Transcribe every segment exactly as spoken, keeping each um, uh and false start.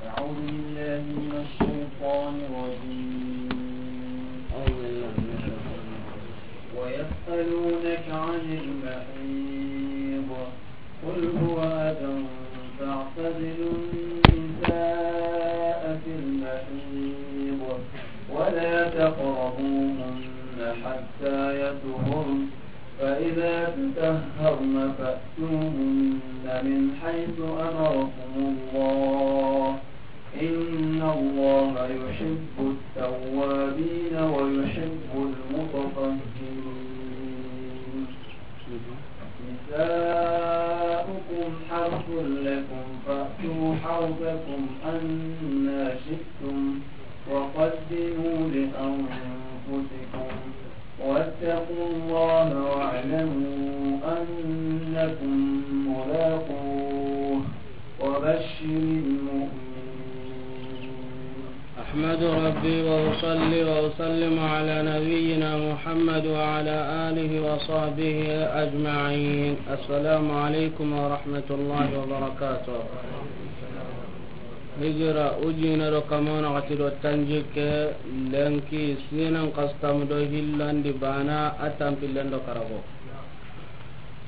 أعوذ بالله من الشيطان الرجيم. ويسألونك عن المحيض، قل هو أذى فاعتزلوا النساء في المحيض ولا تقربوهن حتى يطهرن، فإذا تطهرن فأتوهن من حيث أمركم الله، إن الله يحب التوابين ويحب المتطهرين. نساؤكم حرث لكم فأتوا حرثكم أنى شئتم وقدموا لأنفسكم واتقوا الله واعلموا أنكم ملاقوه وبشر المؤمنين. أحمد ربي وأصلي وأسلم على نبينا محمد وعلى آله وصحبه أجمعين. السلام عليكم ورحمة الله وبركاته. Hijira ujine do kamana gati do tanjikke lenki sinan kastam do hillandi bana a tampillen do karago.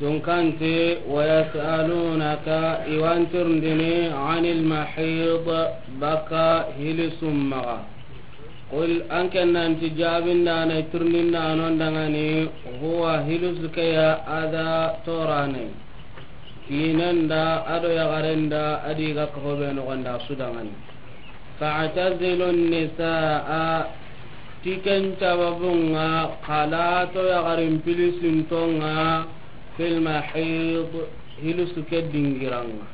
Tunkanti, ويسألونك, i wa an tirindini, عن المحيض, baka hilisum maxa. قل, an ke nanti jaabindaana, tirindindaanon dangani, هو, hilisu ke ya, أذى, toorane. Kiinen da, a do yaxaren da, a di ga kaho be noxon da, su dangani. فاعتزلوا النساء, ti ken sababun ŋa, xa la to yaxarin pilisinton ŋa, في المحيض, hilisu ke dingiran ŋa.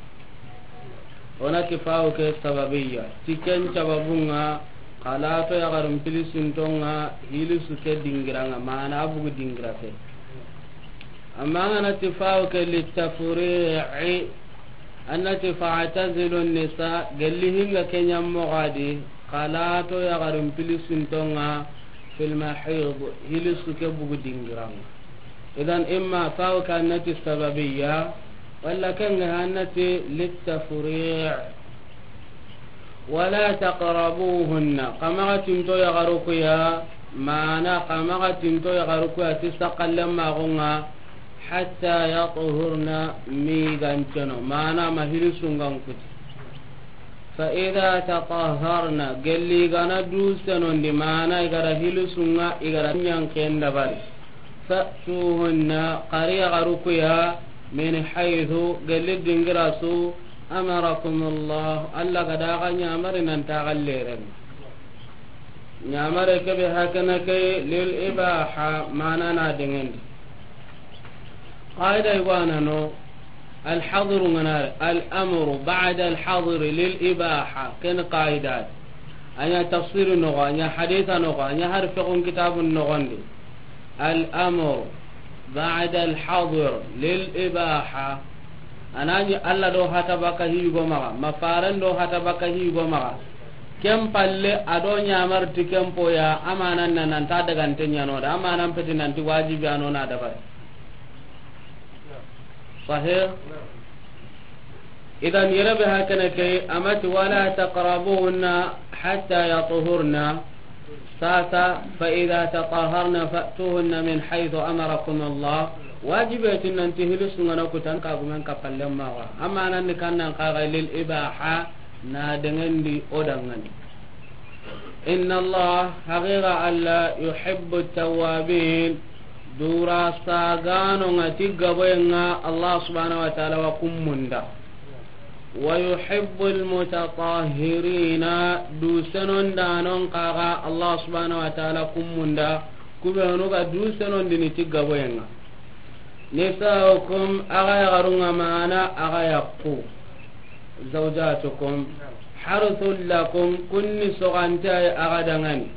O na ti faawu ke sababiyya, ti ken sababun ŋa, xa la to yaxarin pilisinton ŋa, hilisu ke dingiran ŋa, maana a bugu dingira ke. Amma an ga na ti faawu ke للتفريع, an na ti فاعتزلوا النساء, gelli hinga ke ɲa moxo di, xa la to yaxarin pilisinton ŋa, في المحيض, hilisu ke bugu dingiran ŋa. Idan, imma faawu ke an na ti sababiyya, walla ken ga an na ti للتفريع. ولا تقربوهن, xa maxa tinto yaxaru ku ya, maana xa maxa tinto yaxaru ku ya ti saxallen maxun ŋa, حتى يطهرن, ma i ga nceno, maana ma hilisun ga n kuti. فإذا تطهرن, gelli i ga na du senondi, maana i ga da hilisun ŋa, i ga da ɲanken dabari. فأتوهن, xa ri yaxaru ku ya, من حيث, gelli dingira su, أمركم الله, Alla ga da xa ɲamari nan ti xa leren. Ɲamare ke be hakana ke للإباحة, maana na dengendi. Qaida i wa na no, الحظر ŋa na ri, الأمر بعد الحظر للإباحة, ken qaida. A ɲa tafsiri noxo, a ɲa hadisa noxo, a ɲa har fiqhun kitabun noxon di. الأمر بعد الحظر للإباحة. A na ɲi Alla do hata baka hi go maxa, ma faren do hata baka hi go maxa. Ken palle a do ɲamari ti ken po ya, a maanan na nan ta dagante ɲa no da, a maanan peti nan ti wajibi a no na dabari. Sahih? Idan yere be hakana ke, a ma ti, ولا تقربوهن حتى يطهرن. Sasa, فإذا تطهرن فأتوهن من حيث أمركم الله. Wajibe ti nan ti hilisun ŋa na kutan ka gumen ka pallen maxa. Amma nan ni kan nan xa ga للإباحة, na dengendi o dangani. إن الله, haqiqa Alla, يحب التوابين, dura saganon ŋa ti gaboyen ŋa, Alla subhanahu wa ta'ala wa kun munda. ويحب المتطهرين, du senondanon xa ga Alla subhanahu wa ta'ala kun munda, ku be honu ga du senondini ti gaboyen ŋa. نساؤكم, xa ga yaxarun ŋa, maana xa ga yaxu. زوجاتكم حرث لكم, kun ni soxante ya xa ga dangani.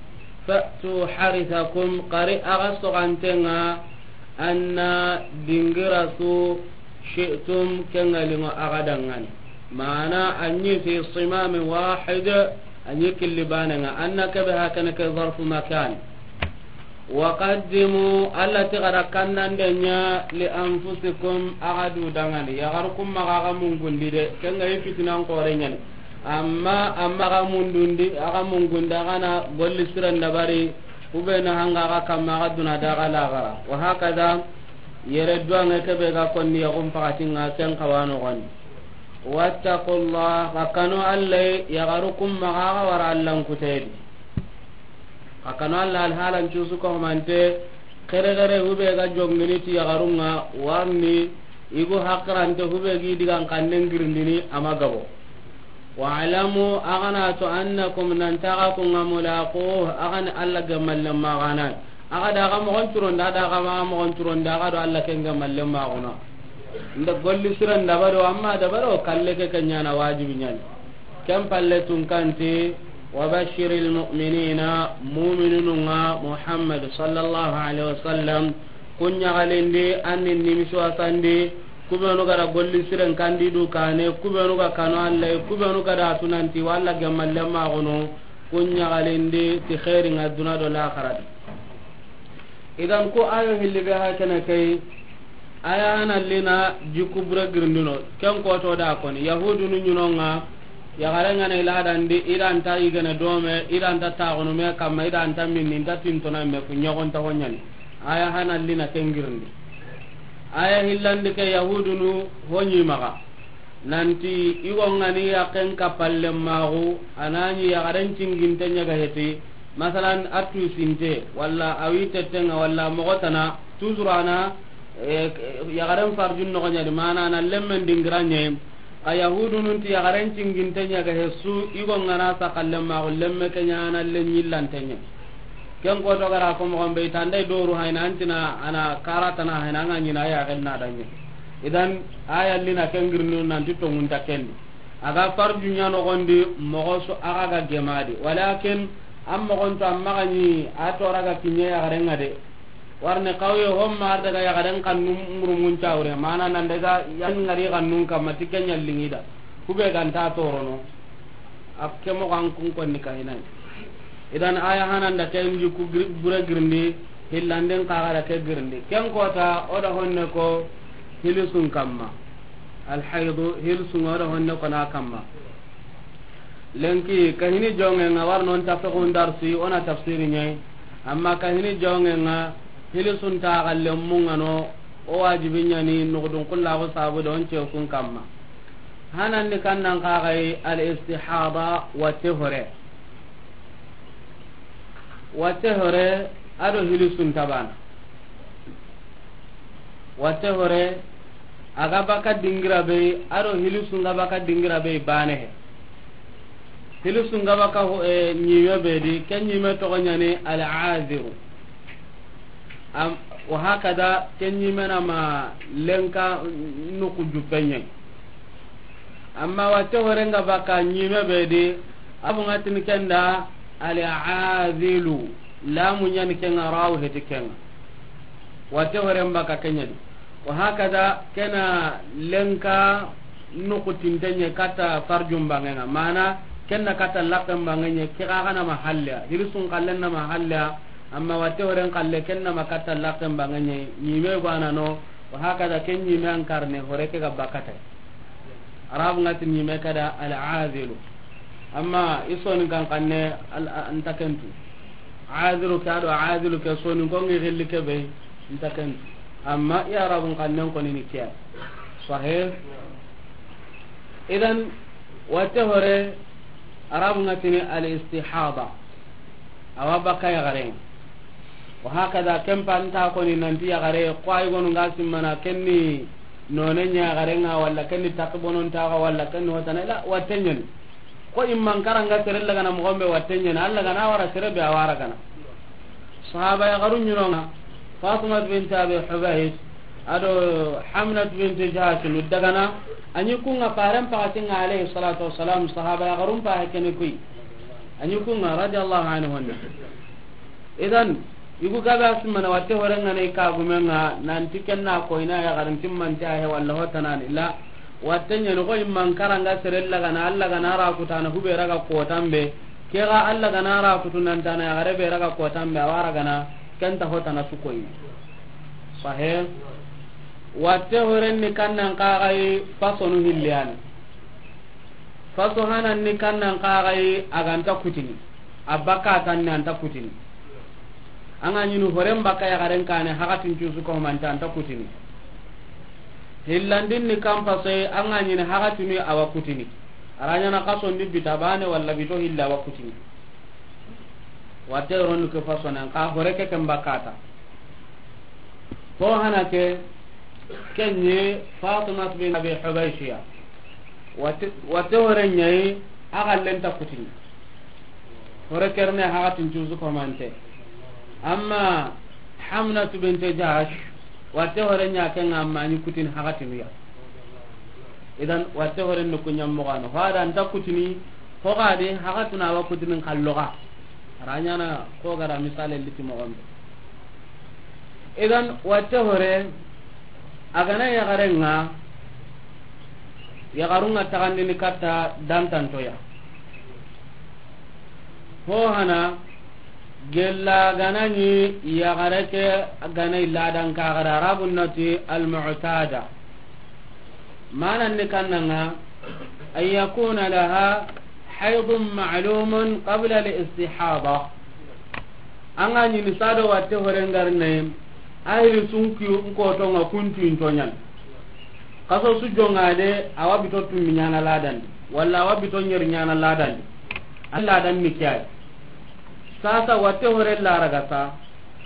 فأتوا حرثكم, xa ri xa ga soxanten ŋa, أنى, dingira su, شئتم, ken ŋa liŋo xa ga dangani. Maana a ɲi في صمام واحد, a ɲi killi banen ŋa. أنى ke be hakana ke ظرف مكان. Wa qaddimu, Alla ti xa da kandande ɲa, li anfusikum, axa du dangani. Yaxaru kun maxa axa mungundi de, ken ga yi fitinan xoore ɲani. Amma, amma axa mundundi, axa mungundi, axa na golli siren dabari, ku be na hanga axa kamma axa duna da axa laxara. Wa hakada, yere duwange ke be ga konni yaxun paxatinga ken xawa noxoni. Wattaqullah, xa kanu Alla, yaxaru kun maxa axa wara Allan kutedi. Xa kanu Alla alhalan cusu ko mante, xere xere hube ga jongini ti yaxarunga warni, igu haqirante hube gi digan kannen girindini ama gabo. Wa'lamu, axa na to annakum, nan taxa kunga mulaquh, axa ni Alla gemalle maxana. Axa da axa moxon curonda, da axa maxa moxon curonda, axa do Alla ken gemalle maxuna. Nda golli siren dabaro, amma dabaro kalle ke ken ɲana wajibi ɲani. Ken palle tun kanti, wa bashiril mu'minina, mu'minununga Muhammad sallallahu alaihi wasallam, kun ɲaxalindi, anni nimisi wasandi, ku benu ga da golli siren kandi du kane, ku benu ga kanu Alla, ku benu ga da tunanti walla gemalle maxunu, kun ɲaxalindi ti xeeringa duna do laxarati. Idan ko ayo hilli be ha kene kay, aya hana lina jikku bure girindino, ken koto da koni, Yahudunu ɲinonga, yaxarengana iladandi, idanta yigene dome, idanta taxunu me kamma, idanta minni, inta tintona me, ku ɲogonta ho ɲani. Aya hana lina ken girindi. Aya hillandi ke Yahudunu ho ɲi maxa. Nanti, i go ngani yaken kappalle maxu, anani yaxaren cinginte ɲaga heti, masalan, a tusinte, walla a wi tettenga, walla moxo tana, toujours ana, eh, yaxaren farjun noxo ɲadi, mana ana lemmen dingira ɲe, xa Yahudunun ti yaxaren cinginte ɲaga he su, i go ngana sakalle maxu, lemme ke ɲana le ɲillante ɲe. Ken koto gara ko moxon be, i tanda i doru hayna, antina ana karatana hayna, anga ɲina ya gel na dange. Idan, aya lina ken girnu nanti tongunta kendi. Aga farju ɲa noxondi, moxo su axa ga gemadi. Walakin, an moxon to, an maxa ɲi, a toraga kiɲe yaxarenga de. Warne kawye homma ar daga yaxaren kannu murumun cawre. Mana nan daga yan ngari kannun kamma ti ken ɲallingida. Kube ganta torono. A ke moxo an kun konni kahinai. Idan aya hananda ken jikku gir-, bure girindi, hillandin kaxara ke girindi. Ken kota, o da honne ko hilisun kamma. Alhaydu, hilisun o da honne ko na kamma. Lenki, kahini jongenga war non tafsiqun darsi, ona tafsiri ɲai. Amma kahini jongenga, hilisun ta galle mungano, o wajibi ɲani, nugudun kullaxu sabu don cekun kamma. Hanandi kannan kaxay al istihada, watte hore. Watte hore, ado hilisun tabana. Watte hore, aga baka dingira be, ado hilisun ga baka dingira be bane he. Hilisun ga baka ho-, eh, ɲime be di, ken ɲime toxo ɲani al aziru. Am, wa hakada, ken ɲime na ma lenka nuku jupenye. Amma watte horenga baka ɲime be di, abu ngatin kenda al azilu, lamu ɲani kenga rawu heti kenga. Watte horen baka kenyadi. Wa hakada, kena lenka nuku tintenye kata farjum bangenga. Mana, kenna kata lakken bangenye, kira gana mahalya. Hirisun kallen na mahalya, amma watte horen kalle kenna ma kata lakken bangenye. Ɲime gwana no, wa hakada ken ɲime an karne hore ke ga bakata. Arabu ngati ɲime kada al azilu. Amma i soni kan kanne al, a, nta kentu. Aziru ke ado azilu ke soni ko ngi gilli ke be nta kentu. Amma i Arabun kannen koni ni kiya. Sahih. Idan, watte hore, Arabu ngatini al istihada. Awa baka yaxare. Wa hakada, ken pa nta koni nanti yaxare, ko ay gonu nga simmana kenni none ɲa yaxare nga, walla kenni takki bonon taxa, walla kenni hotana, ila watte ɲani. Ko imman karanga sere lagana moxon be watte ɲani, Alla gana wara sere be a wara gana. Sahaba yaxarun ɲinonga, Fatima bint Abi Hubaysh, ado Hamnat bint Jahsh nu dagana, a ɲi kunga faren paxatinga alayhi salatu wassalam, sahaba yaxarun paxe kene kuy. A ɲi kunga radiyallahu anhunna. Idan, igu gabe a simmana watte horenga ne kagumenga, nanti kenna koyna yaxarin timmanti ahe walla hotanani la. Watte ɲani ko imman karanga sere lagana, Alla gana ra kutana hube raga kotambe. Kega Alla gana ra kutu nantana yaxare be raga kotambe, a wara gana. Ken ta hotana su koyi. Sahe. Watte horen ni kannan kaxayi fasonu hilliyani. Faso hanan ni kannan kaxayi a ganta kutini. A bakka tanni anta kutini. An ga ɲini horen bakka yaxaren kane hakatin cusu komante anta kutini. Hillandin ni kan fasoyi an ga ɲini hakatinu awa kutini. A ra ɲana kasondi bita bane walla bito hilla awa kutini. Watte ronu ke fasonen ka hore ke ken bakata. Ko hana ke, kenye Fatima bin Abi Hubaishiya. Watte, watte hore ɲayi a gallen ta kutini. Hore kerne hakatin cusu komante. Amma Hamnatu binte Jahsh, watte hore ɲa ken amma ni kutini hakatinu ya. Idan watte hore no kunya mogano. Hada anta kutini, ko gade hakatuna wa kutini kalloga. A ra ɲana ko gara misale liti moxon be. Idan watte hore a gana yaxaren ŋa, yaxarun ŋa taxandini katta dantantoya. Ho hana gella gana ni yaxare ke gana illa dan kaxara Arabun nati al-mu'tada. Manan ni kannanga, an yakuna laha haydun ma'lumun qabla al-istihada. An ga ɲini sado watte horengarne, a hiri sunki nkotonga kuntuinto ɲan. Kaso su jonga de, awa bito tummi ɲana ladandi, walla awa bito ɲeri ɲana ladandi. An ladan ni kiyai. Sasa watte hore laraga sa,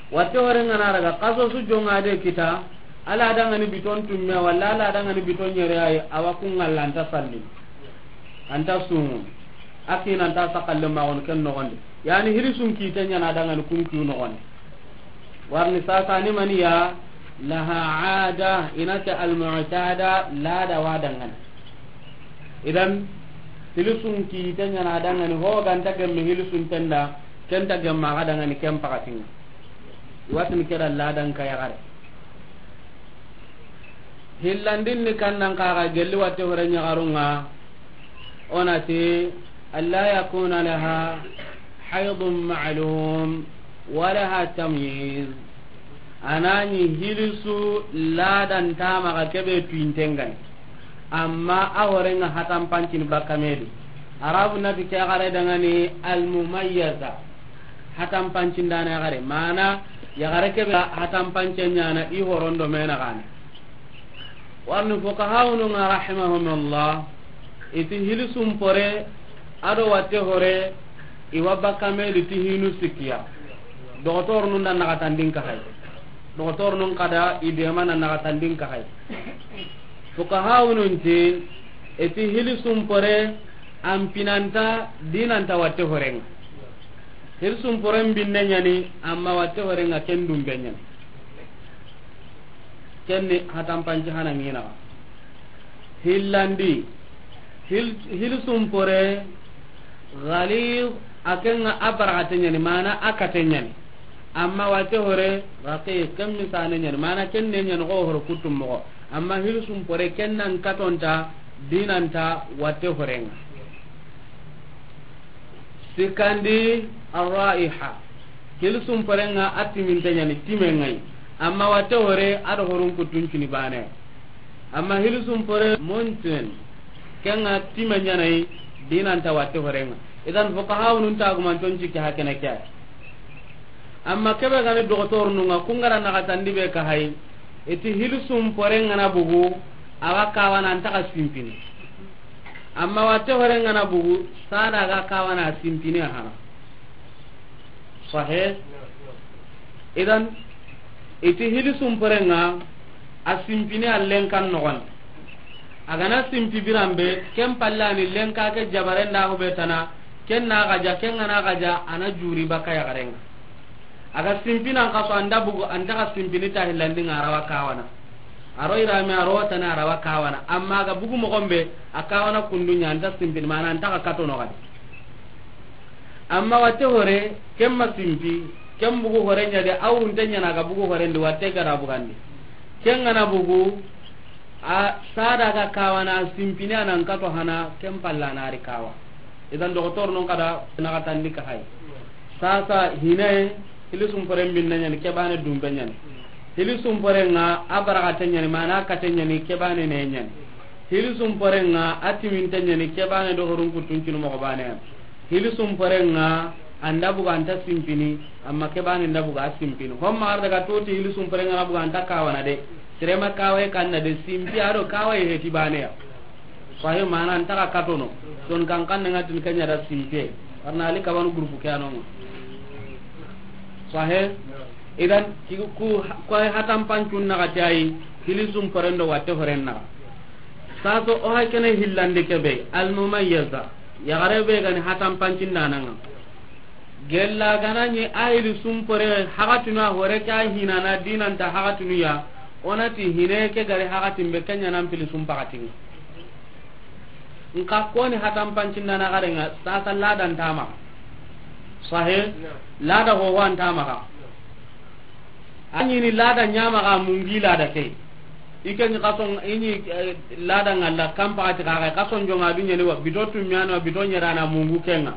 watte hore ngana raga, kaso su jonga de kita, ala dangani biton tumme, walla ala dangani biton ɲere ay, awa kun ngalla anta salli. Anta sumu. Akina anta sakalle ma on ken no gonde. Yani hiri sun kite ɲana dangani kun kiu no gonde. Warni sasa ni maniya laha ada inata al-mu'tada lada wa dangani. Idan hilisun kite ɲana dangani ho ganta gemme hilisun tenda kenta gemma ga dangani ken pakatinga. Watin kera ladan ka yaxare. Hillandin ni kannan kaxa gelli watte hore ɲaxarunga. Onati alla yakuna laha haydun ma'lum wa laha tamyiz. Anani hilisu ladan tamaxa kebe tuintengani. Amma a horenga hatan pancini bakka medi. Arabu nati ke yaxare dangani almumayyaza. Hatan pancindana yaxare mana yaxare kebe hatan pance ɲana i horondo mena gane. Warni fuqahaununga rahimahumullah iti hilisun pore ado watte hore iwa bakka medi ti hinu sikkiya. Dogotorunun da naxatandin kaxay. Dogotorunun kada idema na naxatandin kaxay. Fuqahaunun ti iti hilisun pore an pinanta dinanta watte horenga. Hilisun poren binne ɲani amma watte horenga ken dumbe ɲani. Kenni hatan panci hana ngina. Hillandi hil, hilisun pore ghalid akenga a baragate ɲani mana a kate ɲani. Amma watte hore raqiq ken misane ɲani mana kenne ɲani go horo kutum mogo. Amma hilisun pore kennan katonta dinanta watte horenga. Sikandi arraiha. Hilisun porenga a timinte ɲani timengai. Amma watte hore ado horun kutuncini bane. Amma hilisun pore monten kenga time ɲanai dinanta watte horenga. Idan fuqahaunun tagumanton cikki hakene ke. Amma kebe gani dogotorununga kungara naxatandi be kaxay. Iti hilisun pore ngana bugu awa kawana antaxa simpini. Amma watte hore ngana bugu sada ga kawana simpini hana. Sahe. Idan iti hilisun pore nga a simpini allen kan noxon. A gana simpi biranbe ken pallani lenka ke jabarenda hube tana. Ken na gaja ken ngana gaja ana juri baka yaxarenga. Aga simpina nka so anda bugu antaxa simpini ta hillandinga arawa kawana. Aro irame aro tana arawa kawana amma aga bugu moxonbe a kawana kundunya anta simpini mana antaxa katono gadi. Amma watte hore kemma simpi ken bugu hore ɲade awunte ɲana aga bugu horendi watte gara bugandi. Ken ngana bugu a sada ga kawana simpini anan kato hana ken palla nari kawa. Idan dogotor non kada naxatandi kaxay. Sasa hine Hili sumporen binne ɲani, ke baane dunbe ɲani. Hili sumporen ŋa a barakate ɲani, mana kate ɲani, ke baane ne ɲani. Hili sumporen ŋa a timinte ɲani, ke baane do horun kuttun cinu moxo baane ya. Hili sumporen ŋa an da buga an ta simpini, amma ke baane n da buga a simpini. Hon ma ar daga toti hili sumporen ŋa na buga an ta kawana de. Sirema kawaye kanna de, simpi a do kawaye heti baane ya. Sahi, mana an ta ga katono. Son kan kan nga tin kenya da simpe. Arna ali kabanu groupe ke anonga. Sahi. Idan ki ku, ku ay hatan pancun na gati ay, hili sumporen do watte horen na. Saso o hay kene hillande ke be, al mumayyiza. Ya gare be gani hatan pancin dananga. Gella gana ni a hili sumpore hagatunu a hore ke a hinana dinanta hagatunu ya, onati hine ke gari hagatin be kenya nan pili sumpagatin. Nka koni hatan pancin dana garenga sasa ladan tama. Sahe? Lada ho wan tama ka. Anyi ni lada nyama ga mungi lada ke. Ike ni kason ini, eh, lada ngalla kampa ati ka ga kason jonga dunya ni wa bito tumyano wa bito nyerana mungu kenga.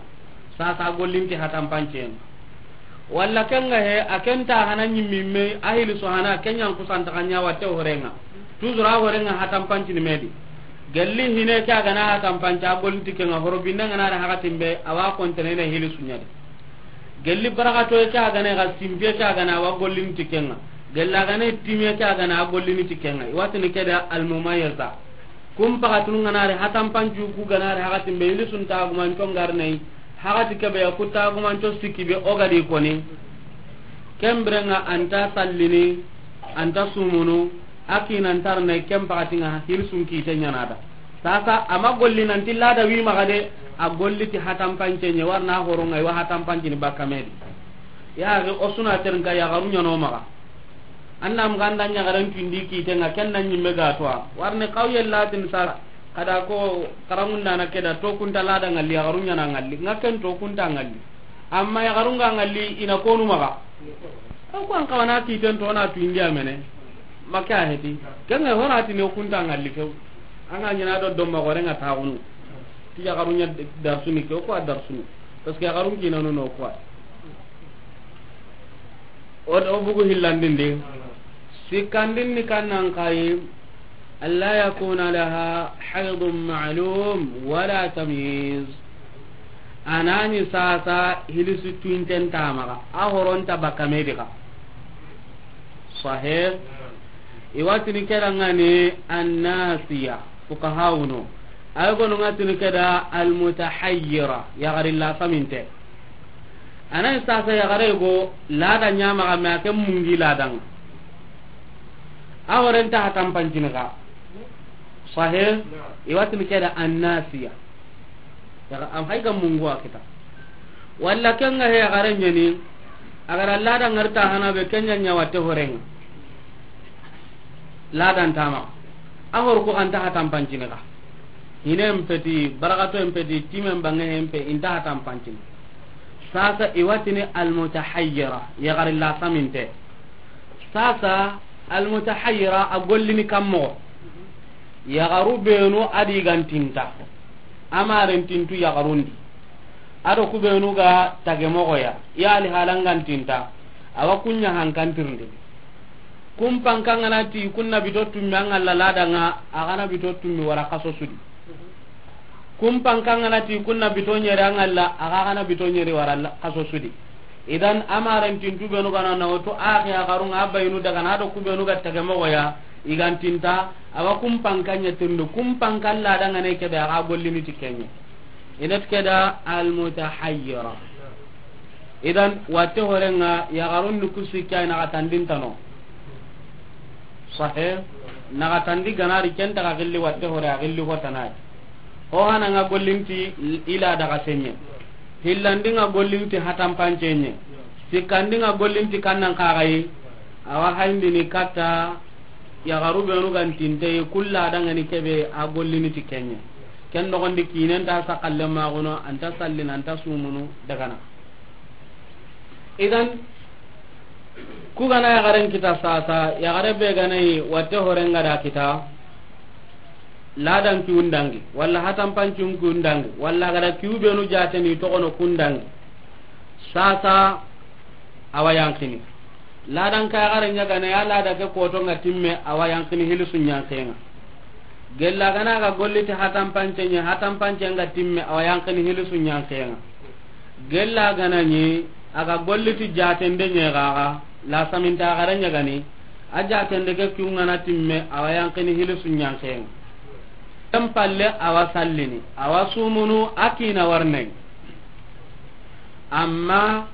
Sasa gollinti hatan pancen. Walla kenga he, a kenta hana nyimmimme, a hili so hana, kenyan kusanta kanya watte horenga. Tuzura horenga hatan pancini medi. Gelli hine ke a gana hatan panci, a gollinti kenga, horo binne ngana da hakatin be, a wa kontene ne hili sunyadi. Gelli barakato ke a gana ga simpe ke a gana, a wa gollinti kenga. Gella gana time ke a gana, a gollinti kenga. Iwatini keda almumayyiza. Kum pakatunu ngana re hatan pancu ku gana re hakatin be hili sun tagumanco ngarnei. Hakati kebe ya ku tagumanco sikki be o gadi koni. Kembrenga anta sallini, anta sumunu, a kinan tarne kem pakatinga hili sun kite nyanada. Sasa ama golli nanti lada wi maga de, a golli ti hatan pance nye warna horonga iwa hatan pancini bakka medi. Ya ga osuna ternka ya garu nyano maga. Anna mganda nya garan tindi kite nga kenna nyimme ga toa. Warne kawye latin sa kada ko karamunda na keda to kunta lada ngalli ya garu nyana ngalli. Nga ken to kunta ngalli. Amma ya garunga ngalli ina konu maga. Ko an kawana kiten to na tu india mene. Maka heti. Kenga hora ti ne kunta ngalli ke. Anga nyana do domma gore nga taunu. Ti ya garu nya darsuni ke ko darsuni. Parce que ya garun kinanu no ko. O, o bugu hillandindi. Sikkandin ni kannan kayi, alla yakuna laha haydun ma'lum wala tamyiz. Anani sasa hilisi tuinten tamaga. A horonta bakka medi ga. Sahih. Iwatini keda ngani annasiya. Fukahawuno. Ay gonu ngatini keda almutahayyira. Yagarilla saminte. Anay sasa yagare go lada nyama ga ma ke mungi ladang. A horenta hatan pancini ga. Sahe, iwatini keda annasiya. Yaga am hayga mungu akita. Walla kenga he yagare nyani, agara lada ngarta hana be kenya nyawa te horenga. Ladan tama. A hor ko anta hatan pancini ga. Hine mpeti, barakato mpeti, time mbange mpe, inta hatan pancini. Sasa iwatini almutahayyira, yagarilla saminte. Sasa almutahayyira a gollini kammo. Yagaru benu adi gantinta. Amaren tintu yagarundi. Ado kubenu ga tagemogoya. Yali halangantinta. Awa kunya hankantirndi. Kumpanka ngana ti kunna bito tummi an ŋalla ladanga, a gana bito tummi wara kaso sudi. Kumpanka ngana ti kunna bito nyeri an ŋalla, a ga gana bito nyeri wara la-, kaso sudi. Idan amaren tintu benu gana na oto a ke a garunga a bayinu daga na do kubenu ga tage mogoya, igantinta, awa kumpanka nya tindu, kumpanka ladanga ne kebe a ga gollini ti kenye. Inat keda almutahayyira. Idan watte horenga yagarun ni kusi kya na gatandin tano. Sahe, na gatandi ganari kenta ga gilli watte hore a gilli ko tanai. Ho hana nga gollinti ila daga senye. Hillandi nga gollinti hatan pancenye. Sikkandi nga gollinti kannan kagayi. Awa hayndini katta yagaru benu gantinte kulla dangani kebe a gollini ti kenye. Ken nogondi kinen ta sakalle magono anta sallin anta sumunu dagana. Idan, ku gana yagaren kita sasa, yagare be ganayi watte horenga da kita, ladan kiwun dangi, walla hatan pancun kiwun dangi, walla gada kiwu benu jateni togono kun dangi. Sasa, a wa yanqini. Ladan ka yaxare ɲa ga na ya, lada ke koto ŋa timme, a wa yanqini hilisu ɲanqen ŋa. Gella ga na ga golli ti hatanpance ɲa, hatanpance ŋa timme, a wa yanqini hilisu ɲanqen ŋa. Gella ga na ɲi a ga golli ti jatende ɲa ga ga, la saminta yaxare ɲa ga ni, a jatende ke kun ŋa na timme, a wa yanqini hilisu ɲanqen ŋa. Ken palle a wa sallini, a wa sumunu, a kina warne. Amma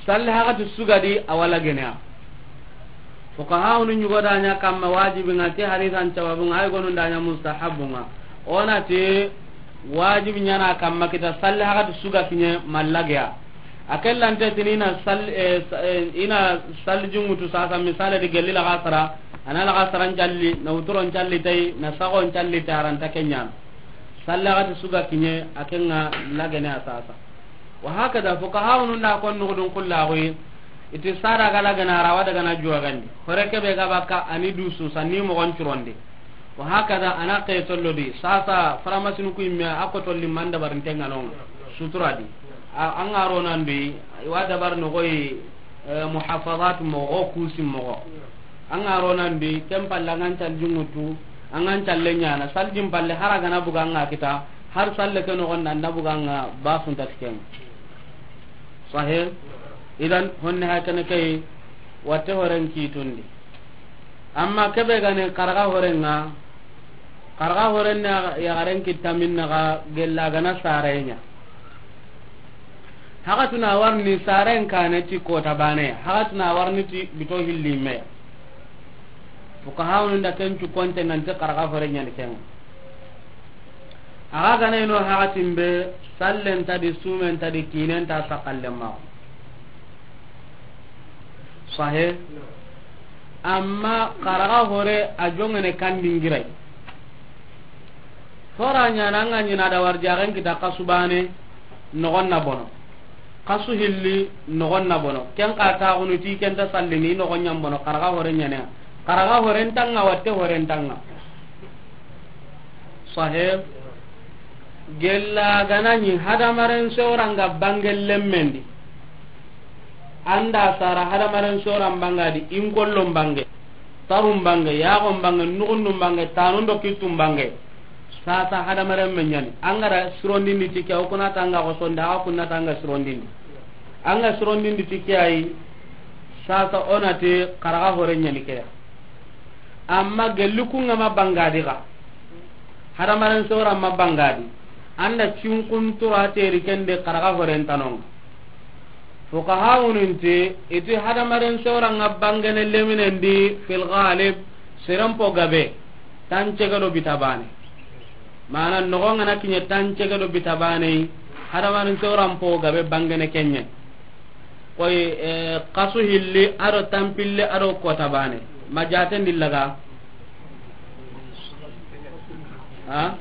salli hakati su ga di, a wa lagene ya. Fuqahawunu ɲugo da ɲa kamma wajibi ŋa, ti hadisan sababu ŋa, ay gonu da ɲa mustahabu ŋa. O na ti wajibi ɲa na kamma kita salli hakati su ga kiɲe ma lage ya. A kellante tini i na sal-, eh, sa-, eh, i na salli junŋutu sasa, misale di gelli laxasara, a na laxasara ncalli, na wuturo ncalli tay, na saxo ncalli tay, a ra nta ke ɲaana. Salli hakati su ga kiɲe, a ken ŋa lagene ya sasa. Wa hakada, fuqahawunu nda kon nuxudun kullaxuyi, i ti sara ga lagana, a ra wa daga na juwa gandi. Hore ke be ga bakka, a ni dusu, sanni moxon curondi. Wa hakada, a na ke tollo di. Sasa, faramasinu ku yimme, a ko tolli man dabarinten ŋa no ŋa. Sutura di. A, an ga ro nan di, i wa dabar noxoyi, eh, muhafazat moxo, kusi moxo. An ga ro nan di, ken palle an ga ncal junŋutu, an ga ncalle ɲaana, saljin palle, har a ga na buga an ŋa kita, har salle ke noxon da an da buga an ŋa, ba sunta ti ken. Sahih? Idan, honne hakene kay, watte horen kitundi. Amma kebe ga ni xaraga horen ŋa, xaraga horen na yaxaren kitta minna ga gella ga na sare ɲa. Hakatuna warni saren kane ti kota bane, hakatuna warni ti bito hilli me. Fuqahawunu nda ken cu konte nanti xaraga hore ɲani ken. A ga gana ino hakatin be, sallen ta di, sumen ta di, kinen ta, sakallen ma. Sahe. Amma xaraga hore a jongene kan dingirai. Hora ɲana an ga ɲina da warjaxen kita xasu bane, noxon na bono. Xasu hilli, noxon na bono. Ken xa taxunu ti ken ta sallini, noxon ɲan bono, xaraga hore ɲane. Xaraga horen tanga, watte horen tanga. Sahe. Gella gana ɲi hadamaren sewranga bange lemmendi. Anda sara hadamaren soran bangadi, inkollon bange, tarun bange, yaxon bange, nuxundun bange, tanun do kittun bange. Sasa hadamaren me ɲani. An ga ra sirondindi ti ke, o kuna tanga ko sonda, a kuna tanga sirondindi. An ga sirondindi ti ke ayi, sasa o na ti xaraga hore ɲani ke ya. Amma gelli kunga ma bangadi ga. Hadamaren sora ma bangadi. Anda cinkun tura teri kende xaraga horen tanonga. Fuqahawunun ti, iti hadamaren sora nga bangene leminen di fil ghalib, seren po gabe, tancege do bitabane. Mana noxo nga na kiɲe tancege do bitabane, hadamaren soran po gabe bangene kenɲe. Koy, eh, xasu hilli ado tampille ado kota bane. Ma jaten dillaga. Ha?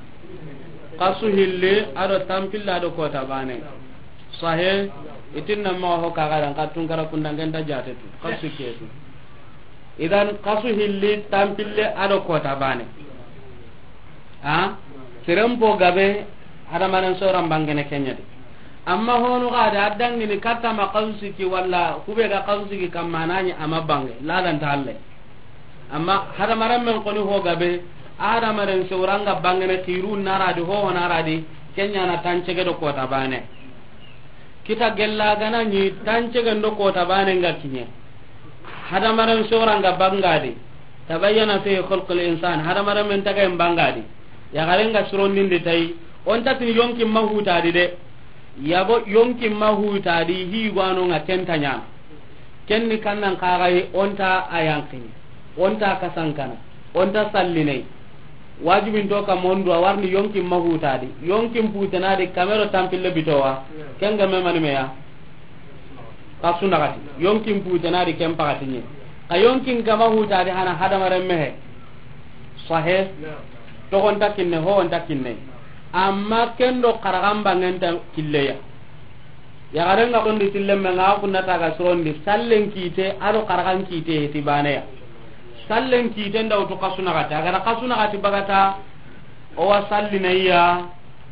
Xasu hilli ado tampille ado kota bane. Sahe, itinna ma ho kagaran ka tunkara kundangen ta jate tu. Xasu ketu. Idan xasu hilli tampille ado kota bane. Ha? Seren po gabe, hadamaren soran bangene kenɲa di. Amma honu ga da dangini katta ma xasu siki walla kube ga xasu siki kamma nani ama bange, ladan ta alle. Amma hadamaren men koni ho gabe, hadamaren soranga bangene kiru naradi ho naradi, kenɲa na tancege do kota bane. Kita gella gana ɲi tancegen do kota bane nga kiɲe. Hadamaren soranga bangadi. Tabayyana fi khalqil insan. Hadamaren men tagayen bangadi. Yaxaren ga sirondindi tay. Onta tin yonkin ma hutadi de. Yabo yonkin ma hutadi hi gwano nga kenta ɲana. Kenni kannan kagaye onta a yanqini. Onta kasankana. Onta sallinai. Wajibin to ka mondu a warni yonkin ma hutadi. Yonkin putenadi kamero tampille bitowa. Kenga me mani meya. Xasu naxati. Yonkin putenadi ken paxatiɲe. Ka yonkin kama hutadi hana hadamaren mehe. Sahe. Togonta kinne, howonta kinne. Amma kendo xaraxan bangenta killeya. Yaxaren ga xondi tillemmen ŋa, a kunna taga sirondi, sallen kite, ado xaraxan kite, heti baneya. Sallen kite nda wutu xasu naxati, a gada xasu naxati bagata, o wa sallinaya,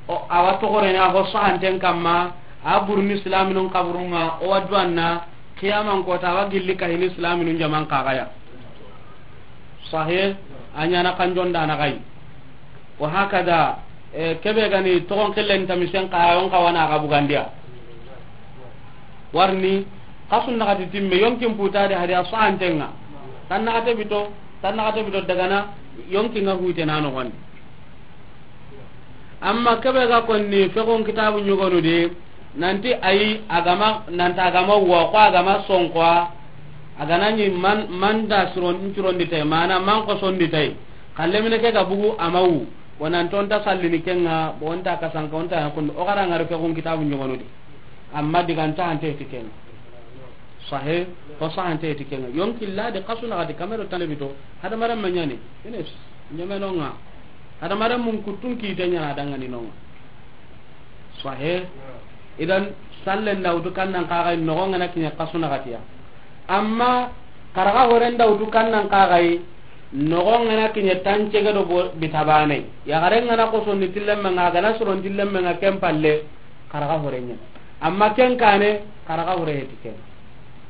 o, a wa toxorene, a ho sahanten kamma, a burni silaminun kaburunga, o wa duwanna, Xiyaman kota wa gilli kahini silaminun jaman kaxaya. Sahe, a ɲana kanjon dana xayi. Wa hakada, e, kebe gani toxon xillen tamisen kayon kawana ga bugandiya. Warni, kasun naxati timme, yonkin putade hadi a sahantenga. Tan naxate bito, tan naxate bito dagana, yonkin ga hute na noxondi. Amma kebe ga konni fexon kitabu ɲogonu di, nanti ayi, agama, nanta agama wa, ko agama sonko, agana ni man, manda suron, suron di tay, mana man ko son di tay. Kallemine ke ga bugu amawu, wonanto nta sallini kenga, bo nta kasanka, onta yakun, o gara ngare fexon kitabu ɲogonu di. Amma diganta ante ti kenga. Sahe, ko sahante ti kenga. Yonki la de kasu na gati kamero talebi to. Hada maram manyani. Ines, nyemenonga. Hada maram mun kutun ki tanya na dangani nonga. Sahe. Idan sallen da wutu kannan kaga nogo ngana kinya kasu na gatiya. Amma karaga horen da wutu kannan kaga yi nogo ngana kinya tancege do bo-, bitabane. Ya garen ngana ko sonni tillemme nga gana suron tillemme nga kempalle. Karaga hore ɲa. Amma ken kane, karaga hore heti ken.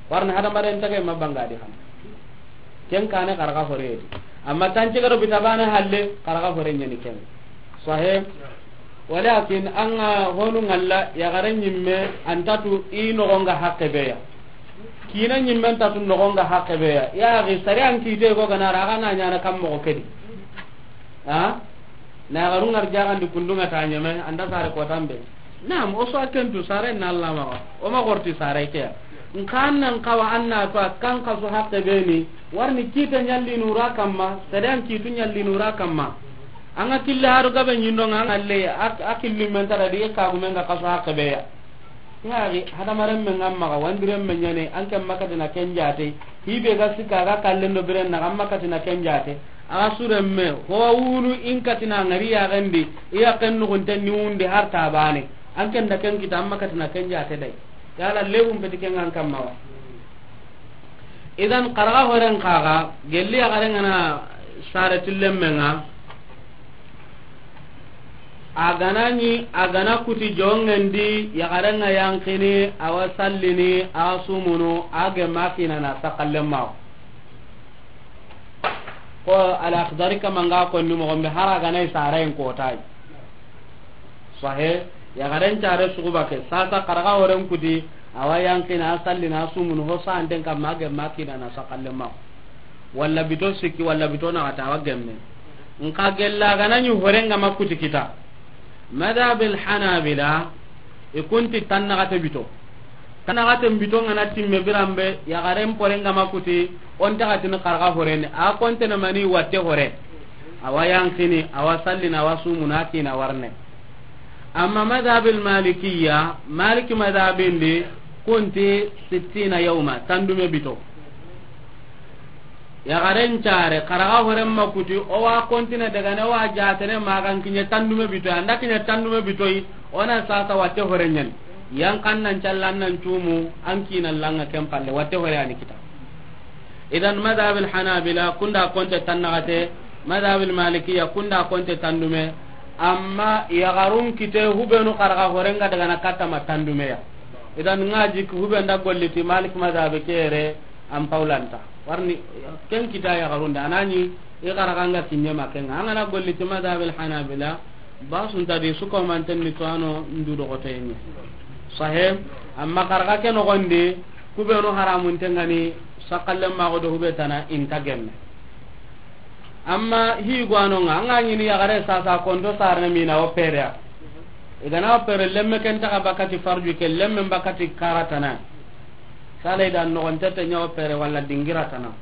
Warna hada maren tage ma banga di xam. Ken kane karaga hore heti. Amma tanci garo bitabane halle, karaga hore ɲa ni ken. Sahe. Walakin anga honu ngalla ya gare ɲimme antatu i nogonga hakke beya. Kina ɲimme antatu nogonga hakke beya. Ya gi sare an kite ko gana raga na ɲana kam mo kedi. Ha? Na garu ngar jagandi kundunga ta ɲeme, anda sare ko tambe. Naam, o so akentu sare na Allah ma. O ma gorti sare ke. Nkan nan kawa anna to kan kaso hakke beni, warni kita ɲalli nura kamma, sare an kitu ɲalli nura kamma. Anga kille haru gabe ɲindo nga ngalle, ak-, akillu men tara di ka gumen ga kaso hakke beya. Yari, hadamaren men ngam maga, wandiren men ɲane, an ken makatina ken jate, hibe ga sika ga kallen do biren na, an makatina ken jate, a ga suren me, ho wunu in katina ngari ya gandi, iya ken nugun ten ni wundi har tabane, an ken da ken kita, an makatina ken jate dai. Yala lewun beti ken an kamma wa. Idan, karaga horen kaga, gelli ya garen ngana sare tillen men nga, A gana ni, a gana kuti jongendi, yaxarenga yankini, awa sallini, awa sumunu, a gemma kinana sakallen mawo. Ko Al-Akhdari kamanga konni moxon be, hara gana i sarayen kotay. Sahe, yaxaren care suguba ke, sasa karaga horen kuti, awa yankini, a sallini, a sumunu, ho santen kamma, a gemma kinana sakallen mawo. Walla bito sikki, walla bito naxata, awa gemme. Nka gella gana ɲi horenga ma kuti kita. Madhabil Hanabila, i kunti tannaxate bito. Tannaxate bito ngana timme biranbe, yaxaren porenga ma kuti, on taxatini xarxa horene. A kontene mani watte hore. Awa yankini, awa sallina, awa sumuna kina warne. Amma madhabil Malikiya, Maliki madhabindi, kunti sittina yawma, tandume bito. Yaxaren care, karaga horen ma kuti, o wa kontine dagane, o wa jatene magan kiɲe tandume bitoy, anda kiɲe tandume bitoy, o na sasa watte hore ɲani. Yan kan nan callan nan cumu, an kina langa ken palle, watte hore ani kita. Idan madhabil Hanabila, kunda konte tannaxate, madhabil Malikiya, kunda konte tandume, amma yaxarun kite hubenu karaga horenga dagana katta ma tandumeya. Idan nga jik hubenda golliti Malik madhabi kere, an pawlanta. Warni, ken kita yaxarunde, anani, i xaraganga kiɲe ma kenga. Angana golli ti madhabil Hanabila, basunta di suko manten ni tuwano ndu dogotoyenye. Sahe, amma xaraga ke nogondi, kubenu haramun tengani, sakallen mago do hube tana inta gemme. Amma hi gwanonga, anga ɲini yaxare sasa konto sarne mina o perea. Igana o pere lemme ken taga bakati farju ke, lemme bakati karatana. Sala idan nogon tete ɲa o pere wala dingira tana.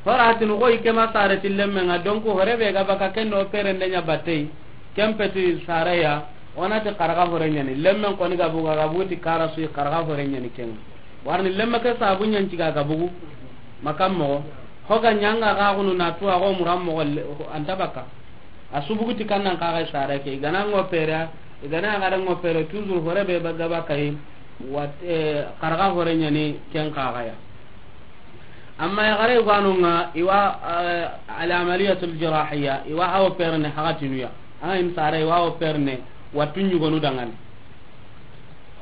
Horatini xoyi ke ma sare ti lemme nga, donc hore be ga baka ken do pere nde ɲa battey, ken peti sare ya, o na ti xarxa hore ɲani, lemmen koni ga buga ga buti kara suyi xarxa hore ɲani ken. Warni lemme ke sabu ɲan ciga ga bugu, makam moxo, ho ga ɲanga ga gunu na tuwa go muram moxo le-, anta baka. A subugu ti kannan kaga sare ke, igana ngo pere, igana ga ngo pere, toujours hore be ga baka yi, wat, eh, xarxa hore ɲani ken kaga ya. Amma yaxare gwanonga iwa, eh, al amaliyatul jirahiya, iwa awo perne hagatinuya. Anga in sare iwa awo perne wattu ɲugonu dangane.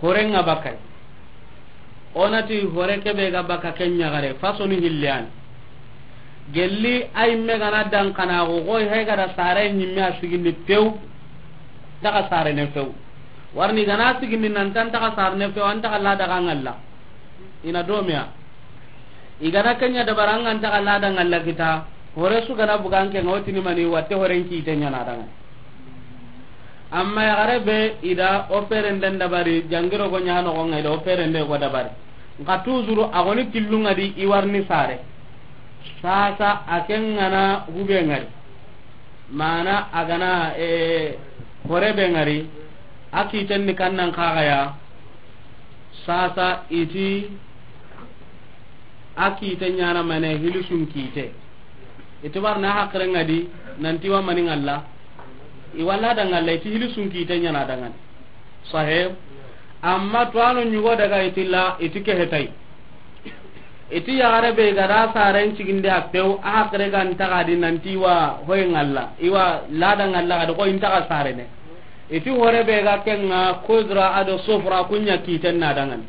Horenga bakay. O na ti hore ke be ga baka ken ɲaxare, fasoni hilli ya ni. Gelli a yi me ga na dan xana go, go hay ga da sare ɲimme a sigindi pew, nta xa sarene pew. Warni ga na sigindi nan ta nta xa sarene pew, an nta xa lada ga ŋalla. I na do me ya. I ga na ken ɲa dabari an ga nta xa lada ŋalla kita, hore su ga na buga an ke ŋa, o ti ni mani, watte horen kiite ɲa na daŋa. Amma yaxare be i da o perenden dabari, jangiro go ɲa noxo ŋa, i da o perende go dabari. Nxa toujours a goni killu ŋa di i warni sare. Sasa a ken ŋa na hube ŋa ri. Mana a ga na, eh, hore be ŋa ri, a kiiten ni kannan xaxaya. Sasa i ti a kiite ɲa na mane, hilisun kiite. I ti barna haqiren ŋa di, nan ti wa mani ŋalla. I wa lada ŋalla, i ti hilisun kiite ɲa na daŋani. Sahe. Amma tuwano ɲugo daga i ti la, i ti ke hetay. I ti yaxare be ga da saren cigindi a pew, a haqire ga nta xa di nan ti wa hoy ŋalla, i wa lada ŋalla, xa di ko i nta xa sarene. I ti hore be ga ken ŋa, kudra a do sufra, ku ɲa kiiten na daŋani.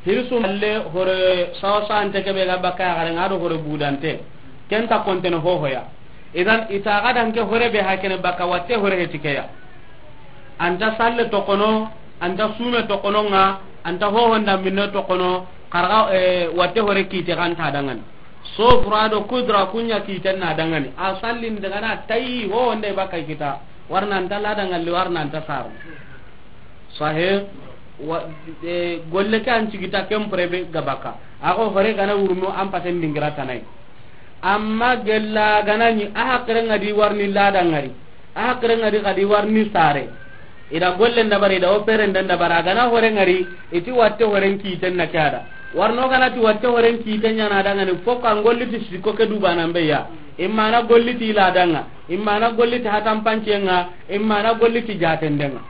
Hirisu malle hore sawa sante ke be ga baka yaxare ŋa do hore budante. Ken ta kontene hohoya. Idan i ta ga dan ke hore be ha kene baka, watte hore heti ke ya. An ta salle toxono, an ta sume toxono ŋa, an ta hohonda minne toxono, xarga, eh, watte hore kiite xa nta daŋani. Sufra do kudra, ku ɲa kiiten na daŋani. A sallin daga na tayi hohonda i baka kita. Warna an ta lada ŋalli, warna an ta saru. Sahe, wa, eh, golle ke an cigita ken prebe ga baka. A go hore ga na wurno an paten dingira tanai. Amma gella ga na ɲi a haqire ŋa di warni lada ŋa ri. A haqire ŋa di xa di warni sare. I da gollen dabari, i da o perenden dabari, a ga na hore ŋa ri, i ti watte horen kiiten na ke a da. Warno ga na ti watte horen kiite ɲa na daŋani, fo ka golli ti siko ke dubanan be ya. I ma na golli ti lada ŋa, i ma na golli ti hatampancen ŋa, i ma na golli ti jatenden ŋa.